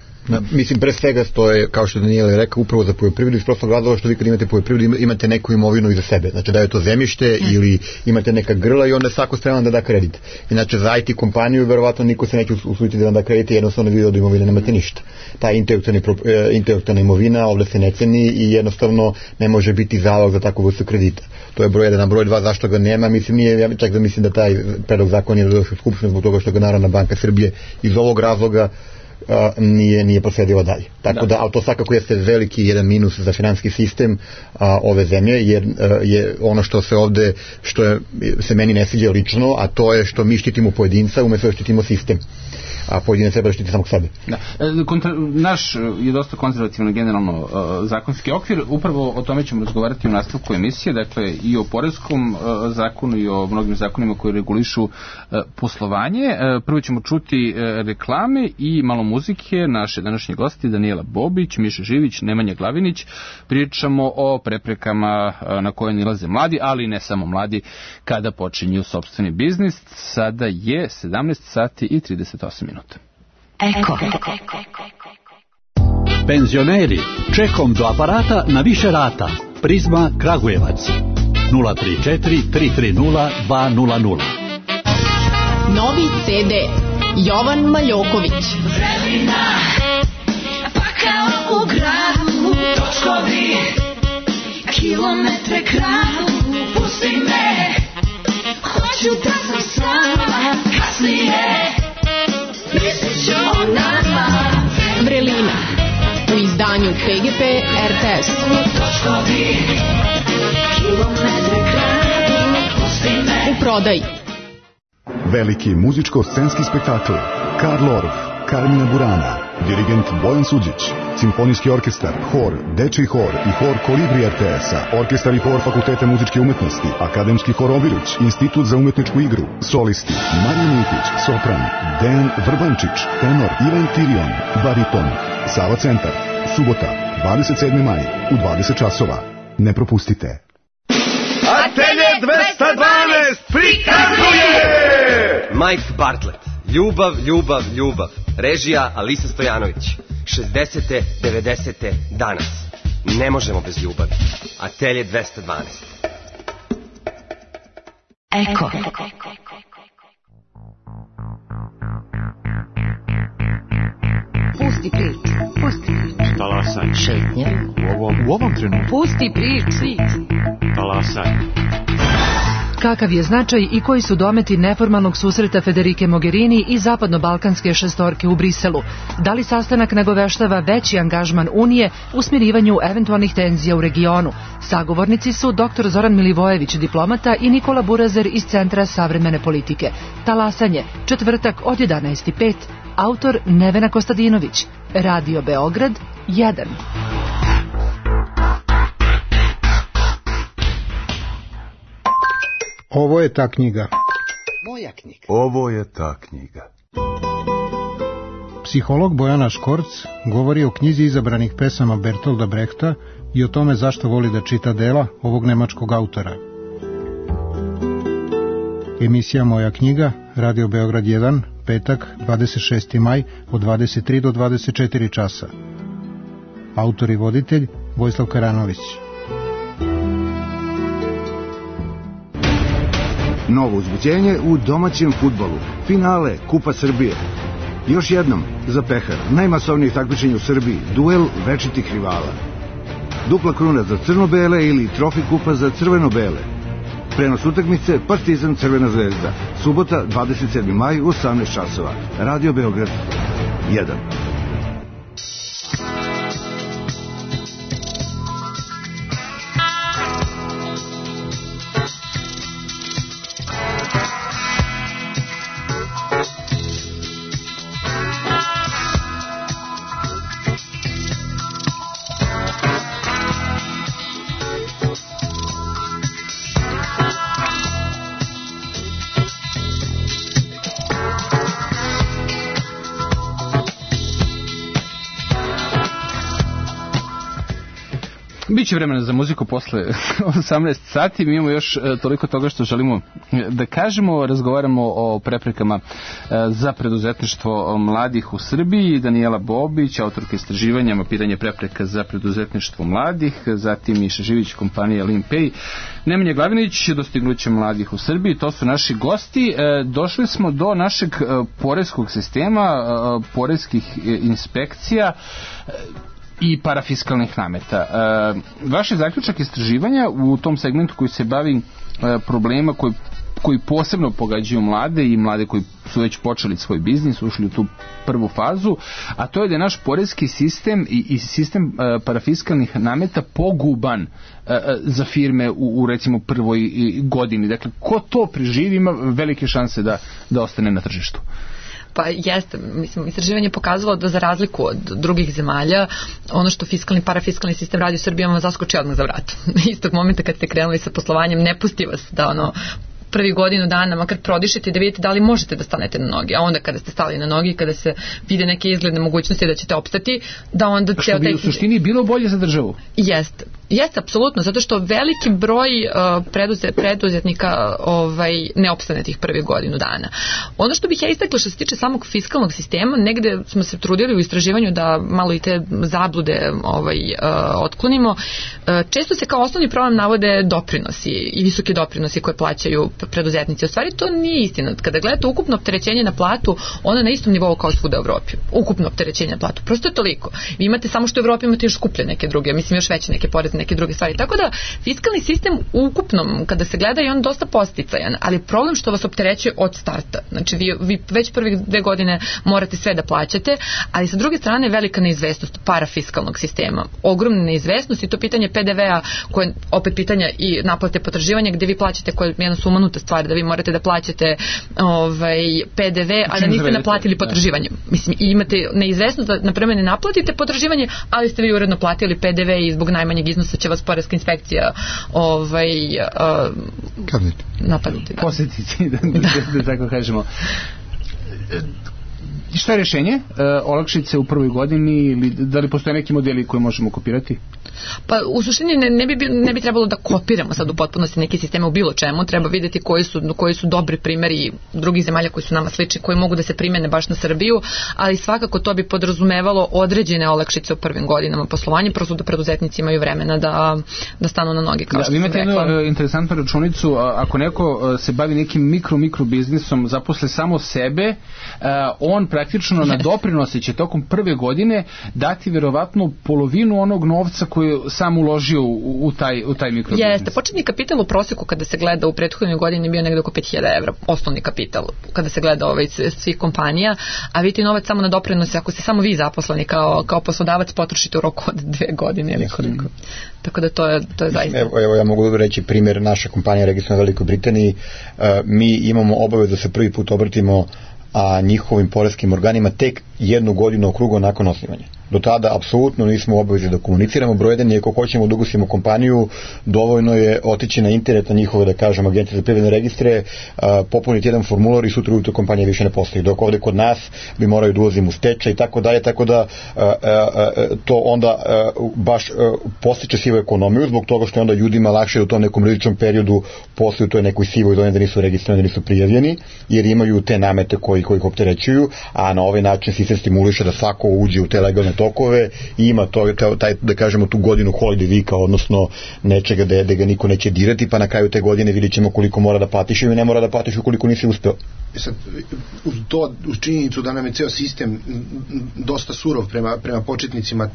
Speaker 5: Mislim, pre svega to je, kao što Daniela rekao, upravo za poljoprivredu, iz prostog razloga što vi kad imate poljoprivredu imate neku imovinu iza sebe, znači da je to zemljište ili imate neka grla i onda je svako spreman da da kredit. Inače za IT kompaniju verovatno niko se neće usuditi da vam da kredit, jednostavno vi od imovine nemate ništa. Ta intelektualna imovina ovde se ne ceni i jednostavno ne može biti zalog za takvu vrstu kredita. To je broj 1, a broj 2 zašto ga nema, ja čak da mislim da taj predlog zakon je došao Skupštine zbog toga što ga Narodna banka Srbije iz ovog razloga nije prosledila dalje. Tako da, ali to svakako jeste veliki jedan minus za finansijski sistem ove zemlje, jer je ono što se ovde, što se meni ne sviđa lično, a to je što mi štitimo pojedinca umesto da štitimo sistem. a pojedinac treba da štiti samog sebe.
Speaker 3: Da. Naš je dosta konzervativno generalno zakonski okvir, upravo o tome ćemo razgovarati u nastavku emisije, dakle i o poreskom zakonu i o mnogim zakonima koji regulišu poslovanje. Prvo ćemo čuti reklame i malo muzike. Naše današnje gosti Danijela Bobić, Miša Živić, Nemanja Glavinić. Pričamo o preprekama na koje nilaze mladi, ali ne samo mladi, kada počinju sopstveni biznis. Sada je 17 sati i 38 minuta.
Speaker 2: Eko.
Speaker 6: Penzioneri, čekom do aparata na više rata. Prizma Kragujevac 034 330 200.
Speaker 7: Novi CD Jovan Maljoković.
Speaker 8: Vremena, pa kao u gradu, točkovi, kilometre kradu, pusti me, hoću da sam s vama, kasnije, mislit ću o nama.
Speaker 7: Vrelina u izdanju PGP RTS.
Speaker 8: Točkovi, kilometre kradu, pusti me.
Speaker 7: U prodaji.
Speaker 9: Veliki muzičko-scenski spektakl Karl Orff, Carmina Burana, dirigent Bojan Suđić, simfonijski orkestar, hor, dečiji hor i hor Kolibri RTS-a, orkestar i hor Fakulteta muzičke umetnosti, akademski hor Oviruć, institut za umetničku igru, solisti Marija Mitić, sopran, Dejan Vrbančić, tenor Ivan Tirion, bariton, Sava Centar, subota, 27. maj, u 20 časova. Ne propustite.
Speaker 10: Atelje 212 prikazuje
Speaker 11: Mike Bartlett, Ljubav, ljubav, ljubav. Režija Alisa Stojanović. 60. 90. danas. Ne možemo bez ljubavi. Atelje 212.
Speaker 2: Eko. Pusti priču. Pusti priču.
Speaker 6: Talasaj.
Speaker 2: Šetnje.
Speaker 6: U ovom trenutku.
Speaker 2: Pusti priču.
Speaker 6: Talasaj.
Speaker 12: Kakav je značaj i koji su dometi neformalnog susreta Federike Mogherini i zapadno-balkanske šestorke u Briselu? Da li sastanak nagoveštava veći angažman Unije u smirivanju eventualnih tenzija u regionu? Sagovornici su dr. Zoran Milivojević, diplomata, i Nikola Burazer iz Centra savremene politike. Talasanje, četvrtak od 11:05. Autor Nevena Kostadinović. Radio Beograd 1.
Speaker 13: Ovo je ta knjiga.
Speaker 14: Moja knjiga.
Speaker 9: Ovo je ta knjiga.
Speaker 13: Psiholog Bojana Škorc govori o knjizi izabranih pesama Bertolda Brehta i o tome zašto voli da čita dela ovog nemačkog autora. Emisija Moja knjiga, Radio Beograd 1, petak, 26. maj, od 23 do 24 časa. Autor i voditelj Vojislav Karanović.
Speaker 15: Novo uzbuđenje u domaćem fudbalu. Finale Kupa Srbije. Još jednom, za pehar, najmasovnije takmičenje u Srbiji, duel večitih rivala. Dupla kruna za crno-bele ili trofi kupa za crveno-bele. Prenos utakmice Partizan Crvena zvezda. Subota, 27. maj u 18 časova. Radio Beograd 1.
Speaker 3: Biće vremena za muziku posle 18 sati. Mi imamo još toliko toga što želimo da kažemo. Razgovaramo o preprekama za preduzetništvo mladih u Srbiji. Danijela Bobić, autorka istraživanja mapiranje prepreka za preduzetništvo mladih, zatim Miša Živić, kompanija Limpay, Nemanja Glavinić, dostignuće mladih u Srbiji. To su naši gosti. Došli smo do našeg poreskog sistema, poreskih inspekcija i parafiskalnih nameta. Vaš je zaključak istraživanja u tom segmentu koji se bavi problema koji posebno pogađaju mlade i mlade koji su već počeli svoj biznis, ušli u tu prvu fazu, a to je da je naš porezki sistem i sistem parafiskalnih nameta poguban za firme u recimo prvoj godini. Dakle, ko to preživi ima velike šanse da ostane na tržištu.
Speaker 1: Pa jeste, mislim, istraživanje je pokazalo da za razliku od drugih zemalja, ono što fiskalni, parafiskalni sistem radi u Srbiji vam zaskoči odmah za vrat. Istog momenta kad ste krenuli sa poslovanjem, ne pusti vas da prvi godinu dana makar prodišete da vidite da li možete da stanete na noge, a onda kada ste stali na noge, kada se vide neke izgledne mogućnosti da ćete opstati, da onda...
Speaker 3: Što bi u suštini bilo bolje za državu?
Speaker 1: Jeste, apsolutno, zato što veliki broj preduzetnika ne opstane tih prvih godinu dana. Ono što bih ja istakla što se tiče samog fiskalnog sistema, negde smo se trudili u istraživanju da malo i te zablude otklonimo. Često se kao osnovni problem navode doprinosi i visoki doprinosi koje plaćaju preduzetnici. U stvari to nije istina. Kada gledate ukupno opterećenje na platu, ono je na istom nivou kao svuda u Evropi. Ukupno opterećenje na platu. Prosto je toliko. Vi imate samo što u Evropi imate još skuplje neke druge, mislim još veće neke poreze, neke druge stvari. Tako da fiskalni sistem ukupnom, kada se gleda, je on dosta posticajan, ali problem što vas opterećuje od starta. Znači vi već prvih 2 godine morate sve da plaćate, ali sa druge strane velika neizvesnost parafiskalnog sistema. Ogromna neizvesnost i to pitanje PDV-a, koje je opet pitanja i naplate potraživanja gde vi plaćate, koja je jedna sumanuta stvar, da vi morate da plaćate PDV, a da niste naplatili potraživanje. Mislim, i imate neizvesnost da napreme ne naplatite potraživanje, ali ste vi uredno platili PDV i zbog najmanjeg iznosa će vas poreska inspekcija napaditi.
Speaker 3: Posjetiti, da tako kažemo. Šta je rješenje? Olakšice u prvoj godini ili da li postoje neki modeli koje možemo kopirati?
Speaker 1: Pa u suštini ne bi trebalo da kopiramo sad u potpunosti neke sisteme u bilo čemu, treba vidjeti koji su dobri primjeri drugih zemalja koji su nama slični, koji mogu da se primene baš na Srbiju, ali svakako to bi podrazumevalo određene olakšice u prvim godinama poslovanja, prosto da preduzetnici imaju vremena da stanu na noge, kao što sam rekla.
Speaker 3: Imate jednu interesantnu računicu, ako neko se bavi nekim mikro biznisom, zaposle samo sebe, on praktično na doprinose će tokom prve godine dati vjerovatno polovinu onog novca koji sam uložio u taj mikrobiznis.
Speaker 1: Jeste, početni kapital u proseku kada se gleda u prethodnoj godini bio negde oko 5.000 evra, osnovni kapital, kada se gleda svih kompanija, a vidite novac samo na doprinose, ako ste samo vi zaposleni kao poslodavac, potrošite u roku od 2 godine ili koliko. Tako da to je zaista.
Speaker 5: Evo ja mogu reći primjer, naša kompanija registrovana u Velikoj Britaniji, mi imamo obavezu da se prvi put obratimo njihovim poreskim organima tek 1 godinu okrugo nakon osnivanja. Do tada apsolutno nismo u obavezi da komuniciramo. Broj 1 je, ako hoćemo da ugusimo kompaniju, dovoljno je otići na internet na njihove, da kažem, agencije za privredne registre, popuniti jedan formular i sutra ujutro kompanija više ne postoji. Dok ovde kod nas bi moraju da ulazimo u stečaj i tako dalje, tako da to onda baš postiče sivu ekonomiju, zbog toga što je onda ljudima lakše da u tom nekom rizičnom periodu posluju u toj nekoj sivoj zoni, da nisu registrovani, da nisu prijavljeni, jer imaju te namete koji ih opterećuju, a na ovaj način sistem stimuliše da svako uđe u te legalne tokove i ima taj, da kažemo, tu godinu holiday weeka, odnosno nečega da ga niko neće dirati, pa na kraju te godine vidjet ćemo koliko mora da platiš ili ne mora da platiš ukoliko nisi uspeo.
Speaker 4: Sad, uz činjenicu da nam je ceo sistem dosta surov prema početnicima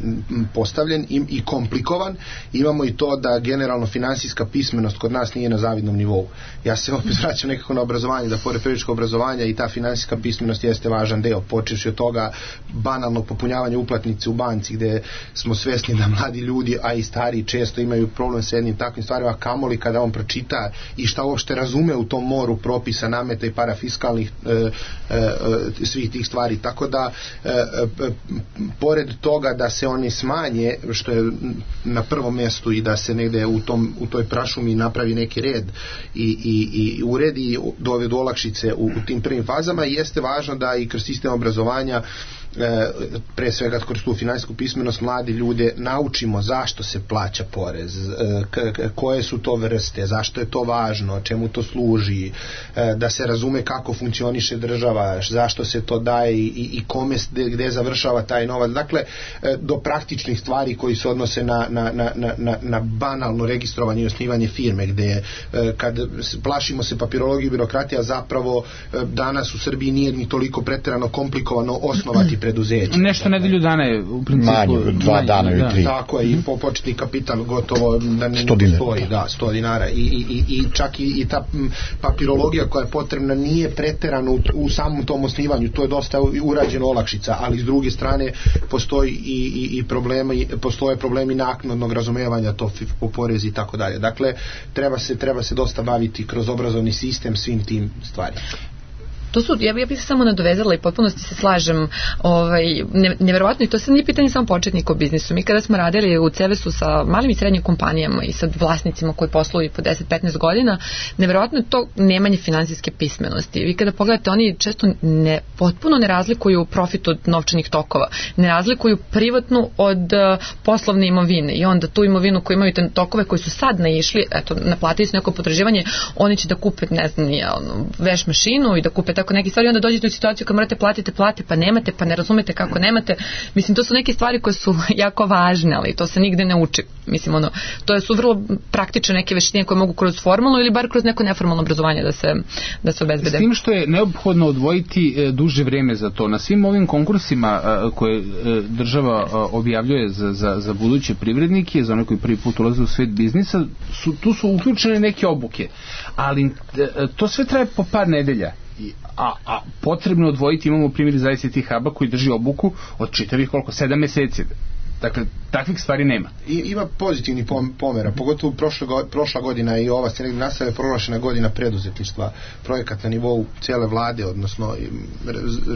Speaker 4: postavljen i komplikovan, imamo i to da generalno finansijska pismenost kod nas nije na zavidnom nivou. Ja se opet vraćam nekako na obrazovanje, da pored priličkog obrazovanja i ta finansijska pismenost jeste važan deo, počevši od toga banalnog popunjavanja uplatnice u banci, gde smo svesni da mladi ljudi, a i stariji, često imaju problem sa jednim takvim stvarima, kamoli kada on pročita i šta uopšte razume u tom moru propisa, nameta i parafiskalnih svih tih stvari, tako da pored toga da se oni smanje, što je na prvom mjestu, i da se negde u toj prašumi napravi neki red i uredi dovedu olakšice u tim prvim fazama, jeste važno da i kroz sistem obrazovanja, pre svega kroz tu finansijsku pismenost, mladi ljude naučimo zašto se plaća porez, koje su to vrste, zašto je to važno, čemu to služi, da se razume kako funkcioniše država, zašto se to daje i kome, gde završava taj novac. Dakle, do praktičnih stvari koji se odnose na banalno registrovanje i osnivanje firme, gde kad plašimo se papirologije i birokratija, zapravo danas u Srbiji nije ni toliko preterano komplikovano osnovati preduzeće.
Speaker 3: Nešto nedelju dana je u principu
Speaker 5: manje, 2 dana ili 3.
Speaker 4: Tako je, i početni kapital gotovo da ne postoji, 100 dinara i čak i ta papirologija koja je potrebna nije preterano u samom tom osnivanju, to je dosta urađeno olakšica, ali s druge strane postoji i postoje problemi naknadnog razumevanja to po porezi i tako dalje. Dakle, treba se dosta baviti kroz obrazovni sistem svim tim stvarima.
Speaker 1: to su, ja bih se samo nadovezala i potpunosti se slažem, neverovatno, i to sad nije pitanje samo početnika u biznisu. Mi kada smo radili u CVS-u sa malim i srednjim kompanijama i sa vlasnicima koji posluju po 10-15 godina, neverovatno je to nemanje finansijske pismenosti. Vi kada pogledate, oni često potpuno ne razlikuju profit od novčanih tokova, ne razlikuju privatnu od poslovne imovine, i onda tu imovinu koju imaju te tokove koji su sad naišli, eto, naplatili su neko potraživanje, oni će da kupe, ne znam, veš mašinu i da kupe tako neke stvari, onda dođete u situaciju kad morate platite plate, pa nemate, pa ne razumete kako nemate. Mislim, to su neke stvari koje su jako važne, ali to se nigde ne uči. Mislim, to su vrlo praktične neke veštine koje mogu kroz formalno ili bar kroz neko neformalno obrazovanje da se obezbede.
Speaker 3: S tim što je neophodno odvojiti duže vreme za to. Na svim ovim konkursima koje država objavljuje za buduće privrednike, za one koji prvi put ulaze u svet biznisa, tu su uključene neke obuke. Ali to sve traje po par nedelja. A potrebno odvojiti, imamo primjer za ICT Huba koji drži obuku od čitavih 7 meseci. Dakle, takvih stvari nema.
Speaker 4: Ima pozitivni pomera, pogotovo prošla godina i ova se negdje nastavlja proglašena godina preduzetništva, projekat na nivou cijele vlade, odnosno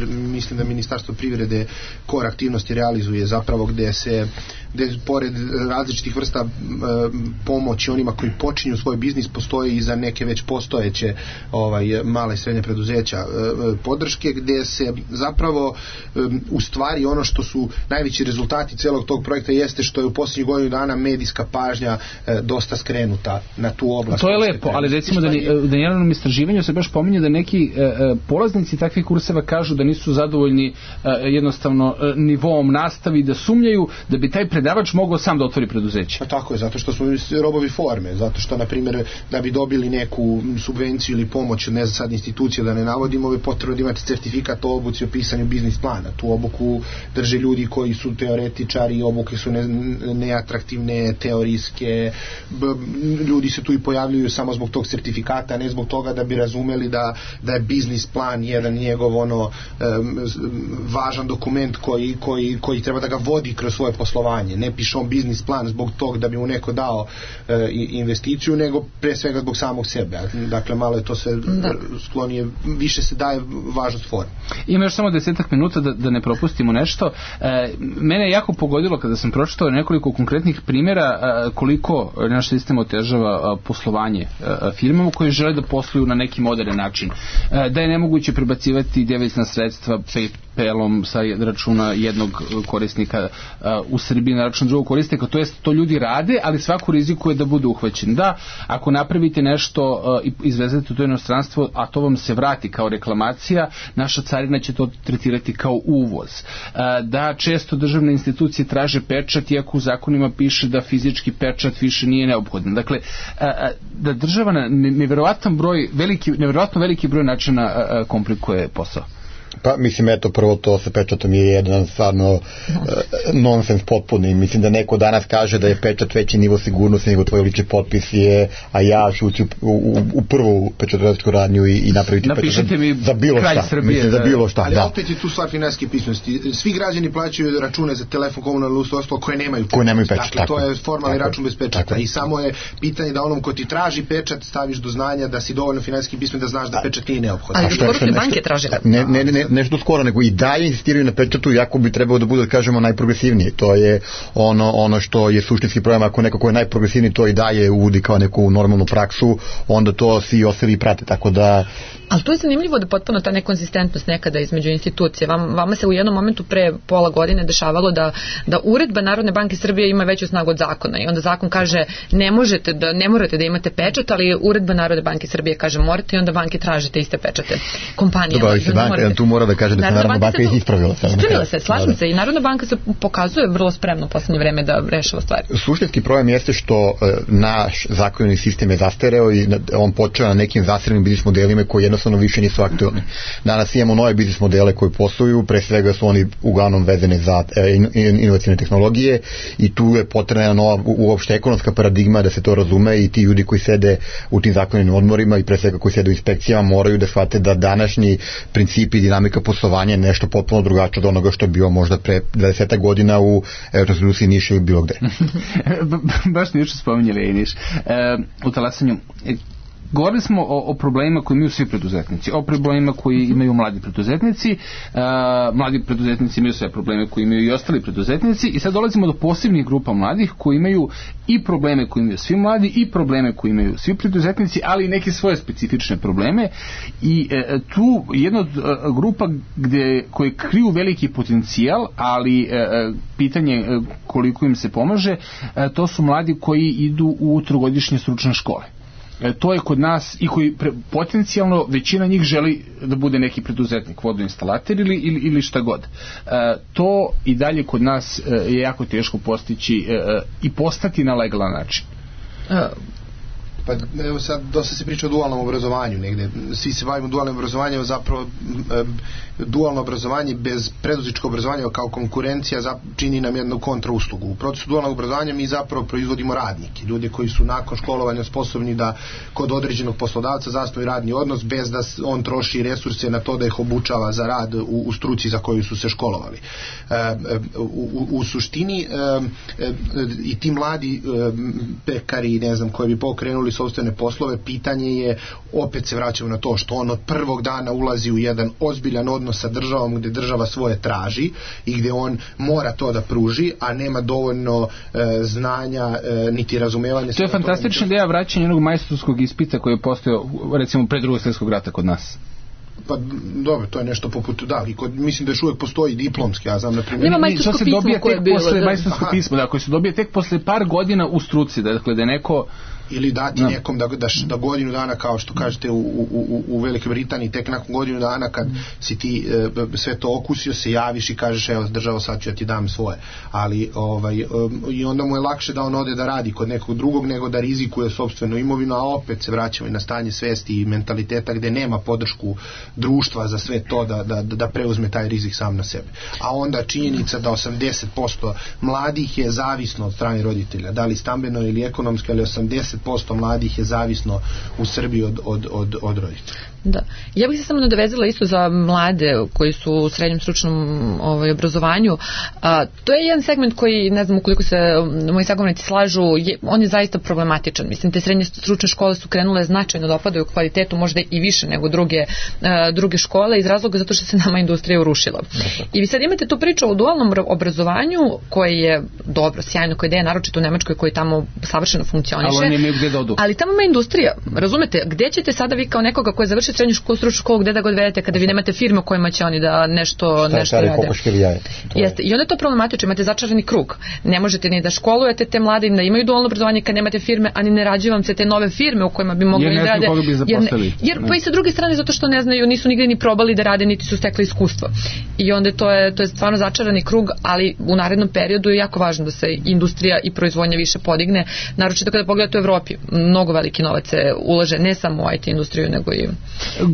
Speaker 4: mislim da Ministarstvo privrede core aktivnosti realizuje zapravo gde pored različitih vrsta pomoći onima koji počinju svoj biznis, postoji i za neke već postojeće male i srednje preduzeća podrške, gde se zapravo u stvari ono što su najveći rezultati celog tog projekta jeste što je u posljednjih godinu dana medijska pažnja dosta skrenuta na tu oblast.
Speaker 3: To je lepo, ali recimo da na jednom istraživanju se baš pominje da neki polaznici takvih kurseva kažu da nisu zadovoljni jednostavno nivoom nastavi, da sumnjaju da bi taj predavač mogao sam da otvori preduzeće.
Speaker 4: Pa tako je, zato što smo robovi forme, zato što, na primjer, da bi dobili neku subvenciju ili pomoć od sad institucije, da ne navodimo, je potrebno da imate certifikat o obuci o pisanju biznis plana. Tu obuku drže ljudi koji su teoretičari, obuke su neatraktivne, teorijske, ljudi se tu i pojavljuju samo zbog tog certifikata, ne zbog toga da bi razumeli da je biznis plan jedan njegov važan dokument koji treba da ga vodi kroz svoje poslovanje. Ne piše on biznis plan zbog tog da bi mu neko dao investiciju, nego pre svega zbog samog sebe. Dakle, malo je to sve sklonije, više se daje važnost forme.
Speaker 3: Ima još samo 10 minuta da ne propustimo nešto. Mene je jako pogodilo kada sam pročitao nekoliko konkretnih primjera koliko naš sistem otežava poslovanje firmama koje žele da posluju na neki modern način. Da je nemoguće prebacivati devizna sredstva PayPalom sa računa jednog korisnika u Srbiji na račun drugog korisnika, to ljudi rade, ali svaku rizikuje da bude uhvaćen. Da, ako napravite nešto i izvezete to inostranstvo, a to vam se vrati kao reklamacija, naša carina će to tretirati kao uvoz. Da, često državne institucije traže pečat, iako u zakonima piše da fizički pečat više nije neophodan. Dakle, da država na nevjerovatno veliki broj načina komplikuje posao.
Speaker 5: Pa mislim, eto, prvo to sa pečatom je jedan stvarno nonsens potpuni. Mislim da neko danas kaže da je pečat veći nivo sigurnosti nego tvoj lični potpis je, a ja ću ući u prvu pečatovačku radnju i napraviti pečat za bilo šta.
Speaker 3: Srbije,
Speaker 5: mislim, za bilo šta,
Speaker 4: ali opet je tu stvar finansijske pismenosti. Svi građani plaćaju račune za telefon, komunalno usluge koje nemaju pečat. Dakle, to je formalni račun bez pečata. I samo je pitanje da onom ko ti traži pečat staviš do znanja da si dovoljno finansijski pismen da znaš da pečat nije neophodan.
Speaker 1: Ali skoro banke traže.
Speaker 5: Nešto skoro, nego i dalje insistiraju na pečatu, jako bi trebalo da bude, da kažemo, najprogresivniji. To je ono što je suštinski problem. Ako neko ko je najprogresivniji to i dalje uvodi kao neku normalnu praksu, onda to svi ostali prate, tako da...
Speaker 1: Ali to je zanimljivo da potpuno ta nekonsistentnost nekada između institucije. Vama se u jednom momentu pre pola godine dešavalo da uredba Narodne banke Srbije ima veću snagu od zakona i onda zakon kaže ne morate da imate pečat, ali uredba Narodne banke Srbije kaže morate i onda banke traže te iste pečate kompanijama.
Speaker 5: Tu mora da kaže da se Narodna banka ispravila.
Speaker 1: Ispravila se, slažem se, i Narodna banka se pokazuje vrlo spremno u poslednje vreme da rešava stvari.
Speaker 5: Suštinski problem jeste što naš zakonodavni sistem je zastareo i on počeo na nekim zastarelim biznis modelima koji jednostavno više nisu aktualni. Danas imamo nove biznis modele koji posluju, pre svega su oni uglavnom vezane za inovacijne tehnologije i tu je potrebna nova uopšte ekonomska paradigma da se to razume i ti ljudi koji sede u tim zakonodavnim odmorima i pre svega koji sede u inspekcijama moraju da shvate da današnji principi i dinamika poslovanja je nešto potpuno drugačije od onoga što je bio možda pre 20 godina u Rusiji, Nišu ili bilo gde.
Speaker 3: Baš ništa spominjali i Niš. U talasanju Govorili smo o problemima koji imaju svi preduzetnici, o problemima koji imaju mladi preduzetnici. Mladi preduzetnici imaju sve probleme koji imaju i ostali preduzetnici i sad dolazimo do posebnih grupa mladih koji imaju i probleme koji imaju svi mladi i probleme koji imaju svi preduzetnici, ali i neke svoje specifične probleme i tu jedna od grupa koje kriju veliki potencijal, ali pitanje koliko im se pomaže, to su mladi koji idu u trogodišnje stručne škole. To je kod nas i koji potencijalno većina njih želi da bude neki preduzetnik, vodoinstalater ili šta god. To i dalje kod nas je jako teško postići i postati na legalan način.
Speaker 4: Pa evo sad dosta se priča o dualnom obrazovanju negde, svi se bavimo dualnim obrazovanjem, zapravo dualno obrazovanje bez preduzetničkog obrazovanja kao konkurencija čini nam jednu kontrauslugu. U procesu dualnog obrazovanja mi zapravo proizvodimo radnike, ljude koji su nakon školovanja sposobni da kod određenog poslodavca zasnuju radni odnos bez da on troši resurse na to da ih obučava za rad u struci za koju su se školovali. U suštini i ti mladi pekari, ne znam, koji bi pokrenuli sopstvene poslove, pitanje je, opet se vraćamo na to što on od prvog dana ulazi u jedan ozbiljan odnos sa državom gde država svoje traži i gde on mora to da pruži, a nema dovoljno znanja niti razumevanja.
Speaker 3: To je fantastična ideja vraćanja jednog majstorskog ispita koji je postojao recimo pre Drugog svjetskog rata kod nas.
Speaker 4: Pa dobro, to je nešto poput mislim da još uvijek postoji diplomski, ja znam na primjer.
Speaker 1: Nema majstorsko pismo koje je bilo.
Speaker 3: Majstorsko pismo, da, koje se dobije tek posle par godina u struci, dakle da je neko
Speaker 4: ili dati nekom da godinu dana, kao što kažete u Velikoj Britaniji, tek nakon godinu dana kad si ti sve to okusio, se javiš i kažeš evo državo, sad ću ja ti dam svoje, ali i onda mu je lakše da on ode da radi kod nekog drugog nego da rizikuje sopstvenu imovinu, a opet se vraćamo i na stanje svesti i mentaliteta gde nema podršku društva za sve to da preuzme taj rizik sam na sebe. A onda činjenica da 80% mladih je zavisno od strane roditelja, da li stambeno ili ekonomski, ali 80% mladih je zavisno u Srbiji od roditelja.
Speaker 1: Da. Ja bih se samo nadovezala isto za mlade koji su u srednjem stručnom obrazovanju. To je jedan segment koji, ne znam ukoliko se moji sagovornici slažu, on je zaista problematičan. Mislim, te srednje stručne škole su krenule značajno da opadaju kvalitetu, možda i više nego druge škole, iz razloga zato što se nama industrija urušila. I vi sad imate tu priču o dualnom obrazovanju koje je dobro, sjajno, koja ideja, naročito u Nemačkoj, koji tamo savršeno funkcioniše. Ali tamo ima industrija. Razumete, gde ćete sada vi kao nekoga koji je završio srednju stručnu školu, gde da god vedete kada vi nemate firme u kojima će oni da nešto rade. Jeste. I onda je to problematično, imate začarani krug. Ne možete ni da školujete te mlade da imaju dualno obrazovanje kad nemate firme, ani ne rađuju vam se te nove firme u kojima bi mogli da rade. Jer pa i sa druge strane zato što ne znaju, nisu nigde ni probali da rade, niti su stekli iskustvo. I onda to je stvarno začarani krug, ali u narednom periodu je jako važno da se industrija i proizvodnja više podigne, naročito kada pogledate u Evropi. Mnogo veliki novac se ulaže ne samo u IT industriju, nego i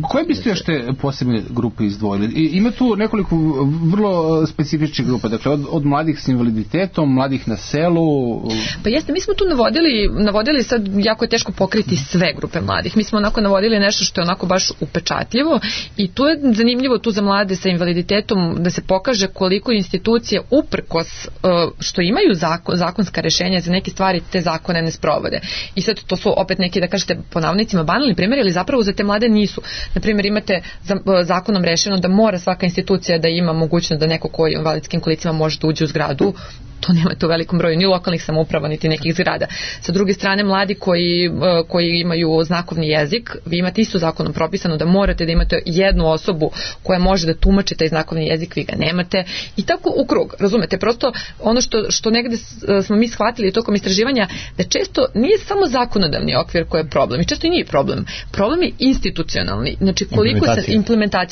Speaker 3: koje biste još te posebne grupe izdvojili? Ima tu nekoliko vrlo specifičnih grupa, dakle od mladih s invaliditetom, mladih na selu.
Speaker 1: Pa jeste, mi smo tu navodili sad, jako je teško pokriti sve grupe mladih. Mi smo onako navodili nešto što je onako baš upečatljivo i tu je zanimljivo tu za mlade sa invaliditetom da se pokaže koliko institucije uprkos što imaju zakonska rešenja za neke stvari, te zakone ne sprovode. I sad to su opet neki, da kažete po navodnicima, banalni primjeri, ali zapravo za te mlade nisu. Na primjer, imate zakonom rešeno da mora svaka institucija da ima mogućnost da neko koji je u invalidskim kolicima može da uđe u zgradu. To nemate u velikom broju ni lokalnih samouprava niti nekih zgrada. Sa druge strane, mladi koji imaju znakovni jezik, vi imate isto zakonom propisano da morate da imate jednu osobu koja može da tumači taj znakovni jezik, vi ga nemate i tako u krug, razumete, prosto ono što negde smo mi shvatili tokom istraživanja, da često nije samo zakonodavni okvir koji je problem i često i nije problem. Problem je institucionalni, znači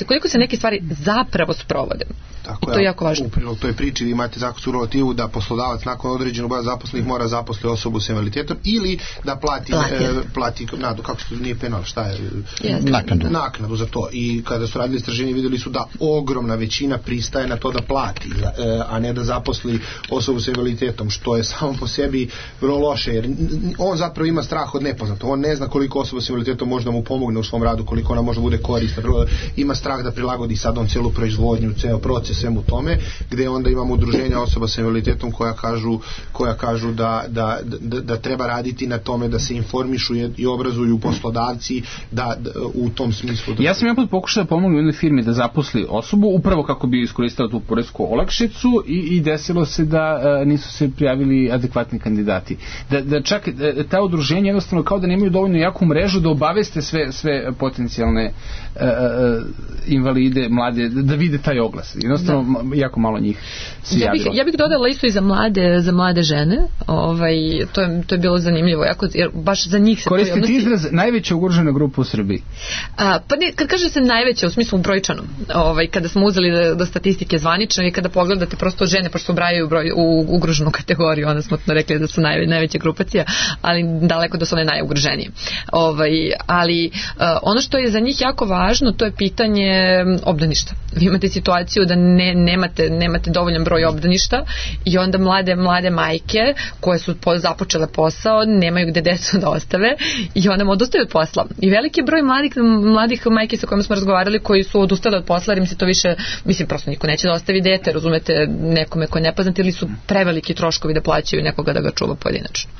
Speaker 1: koliko se neke stvari zapravo sprovode.
Speaker 4: Tako
Speaker 1: i to je jako važno.
Speaker 4: U prilog toj priči vi imate zakonsku regulativu da poslodavac nakon određenog broja zaposlenih mora zaposliti osobu s invaliditetom ili da plati kako se nije penal, šta je? Naknadu za to. I kada su radili istraživanje vidjeli su da ogromna većina pristaje na to da plati, a ne da zaposli osobu s invaliditetom, što je samo po sebi vrlo loše, jer on zapravo ima strah od nepoznatog. On ne zna koliko osoba s invaliditetom može da mu pomogne u svom radu, koliko ona može da bude korisna. Ima strah da prilagodi sad on celu proizvodnju, ceo proces svemu tome, gde onda imamo udruženja osoba sa invaliditetom koja kažu da treba raditi na tome da se informišu i obrazuju poslodavci da u tom smislu.
Speaker 3: Ja sam jedan put pokušao da pomognu jednoj firmi da zaposli osobu upravo kako bi iskoristila tu poresku olakšicu i desilo se da nisu se prijavili adekvatni kandidati. Da čak ta udruženja jednostavno kao da nemaju dovoljno jaku mrežu da obaveste sve potencijalne invalide, mlade, da vide taj oglas. Jednostavno jako malo njih se javilo.
Speaker 1: Ja bih dodala isto i za mlade žene. To je bilo zanimljivo, jer baš za njih se
Speaker 3: koristite odnosi... izraz najveća ugrožena grupa u Srbiji.
Speaker 1: Pa ne, kad kaže se najveća u smislu brojčanom, kada smo uzeli do statistike zvanično i kada pogledate prosto žene, pošto ubrajaju u ugroženu kategoriju, onda smo rekli da su najveća grupacija, ali daleko da su one najugroženije. Ali ono što je za njih jako važno, to je pitanje obdaništa. Vi imate situaciju da nemate dovoljan broj obdaništa i onda mlade majke koje su započele posao nemaju gde decu da ostave i onda odustaju od posla. I veliki broj mladih majke sa kojima smo razgovarali koji su odustali od posla jer im se to više, prosto niko neće da ostavi dete, razumete, nekome ko je nepoznat ili su preveliki troškovi da plaćaju nekoga da ga čuva pojedinačno.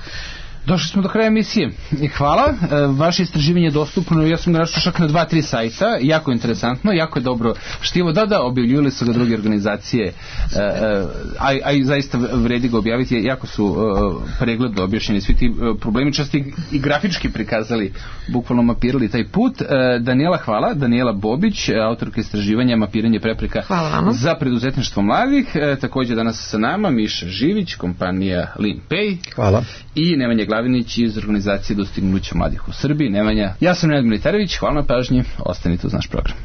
Speaker 3: Došli smo do kraja emisije. Hvala. Vaše istraživanje je dostupno, ja sam ga našao čak na 2-3 sajta, jako interesantno, jako je dobro štivo. Da, objavljivali su ga druge organizacije, a i zaista vredi ga objaviti, jako su pregledno objašnjeni svi ti problemi, često i grafički prikazali, bukvalno mapirali taj put. Hvala. Daniela Bobić, autorka istraživanja Mapiranje prepreka za preduzetništvo mladih. Također danas sa nama Miša Živić, kompanija LeanPay.
Speaker 5: Hvala.
Speaker 3: I Nemanja Glavinić iz organizacije Dostignuća mladih u Srbiji. Nemanja, ja sam Nenad Militarević, hvala na pažnji, ostanite uz naš program.